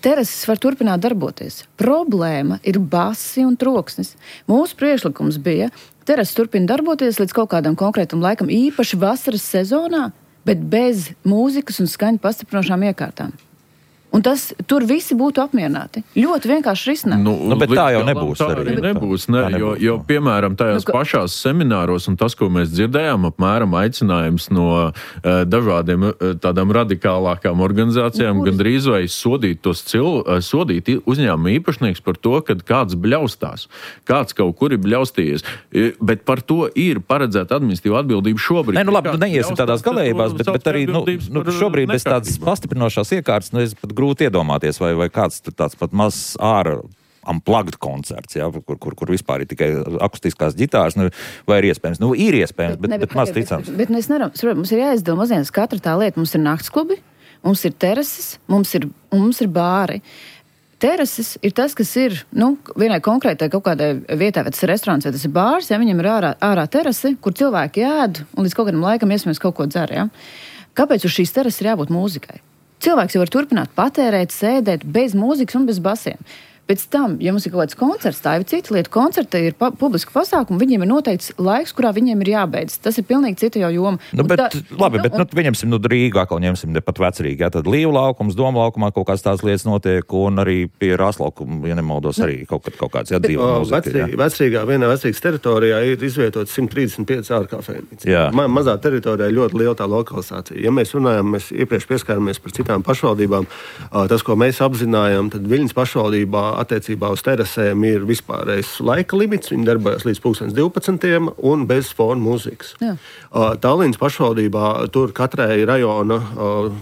C: Terases var turpināt darboties. Problēma ir basi un troksnis. Mūsu priekšlikums bija, terases turpina darboties līdz kaut kādam konkrētam laikam, īpaši vasaras sezonā, bet bez mūzikas un skaņu pastiprinošām iekārtām. Un tas, tur visi būtu apmierināti. Ļoti vienkārši risināt.
A: Nu, nu, bet tā jau nebūs.
D: Tā arī nebūs, ne, tā nebūs jo, jo, piemēram, tajās nu, ka... pašās semināros un tas, ko mēs dzirdējām, apmēram aicinājums no uh, dažādiem uh, tādām radikālākām organizācijām, nu, gandrīz vai sodīt tos cil, uh, sodīt uzņēmumu īpašnieks par to, kad kāds bļaustās, kāds kaut kur ir bļaustījies. Uh, bet par to ir paredzēta administratīva atbildība šobrīd.
A: Nē, nu labi, nu neiesim tādās galējībās, bet, bet arī, nu, nu šobrīd bez tādas pastiprinošās iekārtas, nu, es pat grūti iedomāties, vai, vai kāds tāds pat mazs āra unplugged koncerts, ja, kur, kur, kur vispār ir tikai akustiskās ģitāras, nu, vai ir iespējams? Nu, ir iespējams, bet, ne, bet, bet maz ticams.
C: Bet, bet mēs nevaram, mums ir jāizdala mazliet katra tā lieta. Mums ir naktsklubi, mums ir terases, mums ir, mums ir bāri. Terases ir tas, kas ir, nu, vienai konkrētai kaut kādai vietai, vai tas ir restorāns, vai tas ir bārs, ja viņam ir ārā, ārā terase, kur cilvēki ēd un līdz kaut kādam laikam iespējams kaut ko dzer, ja. Kāpēc uz šīs terases ir jābūt mūzikai? Cilvēks jau var turpināt patērēt, sēdēt bez mūzikas un bez basiem. Pēc tam, ja mums ir kaut kāds koncerts, tā ir cita lieta. Koncerta ir pa, publiska pasākuma, viņiem ir noteikts laiks, kurā viņiem ir jābeidz. Tas ir pilnīgi cita jau joma.
A: Nu, bet, tā, labi,
C: nu,
A: bet, nu, viņemsim, nu, Rīgā, atkal ņemsim pat vecrīgi, jā, tad Līvu laukums, Doma laukumā kaut kāds tās lietas notiek, un arī pie Rāslaukuma, ja nemaldos, arī kaut, kaut kāds, jā, dzīvo mūzika.
E: Vecrīgā, vienā vecrīgas teritorijā ir izvietot simt trīsdesmit pieci ārkafejnīcas. Ma, mazā teritorijā ļoti liela tā lokalizācija. Ja mēs runājam, mēs iepriekš pieskāramies par citām pašvaldībām, tas, ko mēs apzinājām, tad Viļņas pašvaldībā attiecībā uz terasēm ir vispārējais laika limits. Viņi darbojas līdz pulkstens divpadsmitiem un bez fona mūzikas. Uh, Tallinas pašvaldībā tur katrai rajona uh,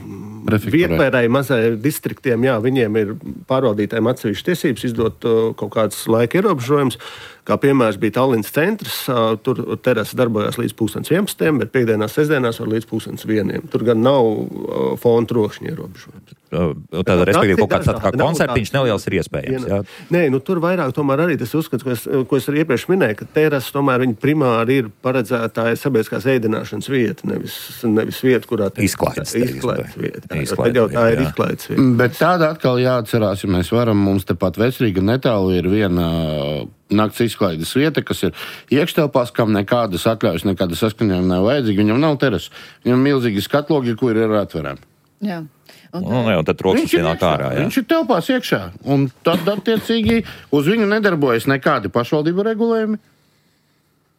E: vietpērēji mazai distriktiem, jā, viņiem ir pārvaldītājiem atsevišķi tiesības izdot uh, kaut kāds laika ierobežojums. Kā piemērs bija Tallinas centrs, uh, tur terasa darbojās līdz pulkstens vienpadsmitiem, bet piekdienās, sestdienās var līdz pulkstens vieniem. Tur gan nav uh, fona trokšņa ierobežojums.
A: Tātad, respektīvi, kaut kāds kā koncertiņš neliels ir iespējams. Jā.
E: Nē, nu tur vairāk tomēr arī tas uzskats, ko es, ko es arī iepriekš minēju, ka terasa tomēr viņa primāri ir paredzētāja sabiedriskās ēdināšanas vieta, nevis, nevis vieta, kurā tā
A: izklaides
E: vieta. Tad jau tā ir izklaides vieta.
B: Bet tāda atkal jāatcerās, ja mēs varam, mums tepat Vecrīga netālu ir viena nakts izklaides vieta, kas ir iekštelpās, kam nekādas atļaujas, nekādas saskaņojuma nav vajadzīgi. Viņam nav terasa. Viņam milzīgi skatlogi, kur ir atverām.
C: Jā.
A: Un, un, un tad troksnis ienāk ārā. Jā.
B: Viņš ir telpās iekšā. Un tad, attiecīgi, uz viņu nedarbojas nekādi pašvaldību regulējumi.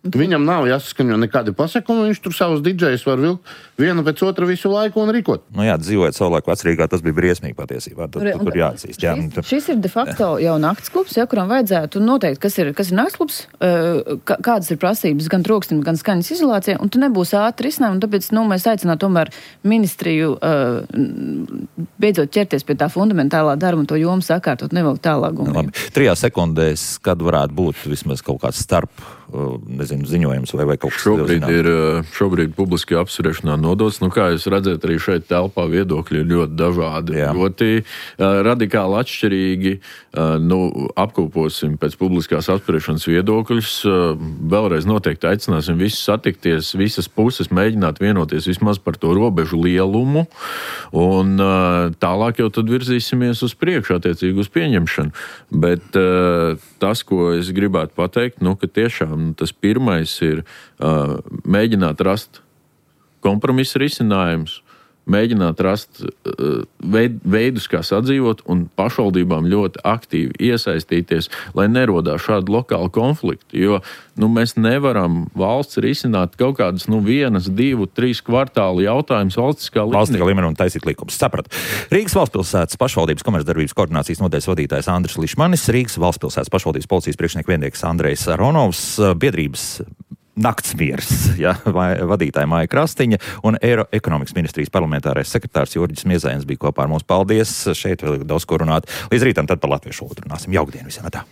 B: Viņam nav jāsaskaņo nekādi pasakumi, viņš tur savus didžejus var vilkt vienu pēc otra visu laiku un rikot.
A: Nu jā, dzīvojot savulaik Vecrīgā, tas bija briesmīgi patiesībā. Tad,
C: un,
A: tur jāatzīst. Jā.
C: Šis, šis ir de facto jau naktsklubs, ja, kuram vajadzētu noteikt, kas ir, kas ir naktsklubs, kādas ir prasības gan troksnim, gan skaņas izolācijai, un tu nebūs ātri risinājumi, un tāpēc, nu, mēs aicinātu tomēr ministriju beidzot ķerties pie tā fundamentālā darba un to jomu sakārtot, nevēl tālāk.
A: Labi. Trijās sekundēs, kad varētu būt vismaz kaut kāds starp nezinu, ziņojums vai, vai kaut kas
D: šobrīd ir, šobrīd publiski apspriešanā nodots. Nu, kā jūs redzat, arī šeit telpā viedokļi ir ļoti dažādi. Jā. Ļoti uh, radikāli atšķirīgi. Uh, nu, apkoposim pēc publiskās apspriešanas viedokļus. Uh, vēlreiz noteikti aicināsim visus satikties, visas puses mēģināt vienoties vismaz par to robežu lielumu. Un uh, tālāk jau tad virzīsimies uz priekšu attiecīgi uz pieņemšanu. Bet uh, tas, ko es gribētu pateikt, nu, ka tiešām tas pirmais ir uh, mēģināt rast kompromisa risinājumus, mēģināt rast uh, veid, veidus, kā sadzīvot, un pašvaldībām ļoti aktīvi iesaistīties, lai nerodās šādi lokāli konflikti. Jo nu, mēs nevaram valsts risināt kaut kādas nu, vienas, divu, trīs kvartālu jautājumus valstiskā līmenī.
A: Valstiskā līmenī un taisīt likums. Sapratu. Rīgas valstspilsētas pašvaldības komercdarbības koordinācijas nodaļas vadītājs Andris Lišmanis, Rīgas valstspilsētas pašvaldības policijas priekšnieku viennieks Andrejs Aronovs, biedrības Naktsmiers, ja, vadītāja Māja Krastiņa un Eiro ekonomikas ministrijas parlamentārais sekretārs Jurģis Miezējens bija kopā ar mums. Paldies! Šeit vēl ir daudz ko runāt. Līdz rītam tad par latviešu valodu runāsim. Jaukdien visiem! Tā.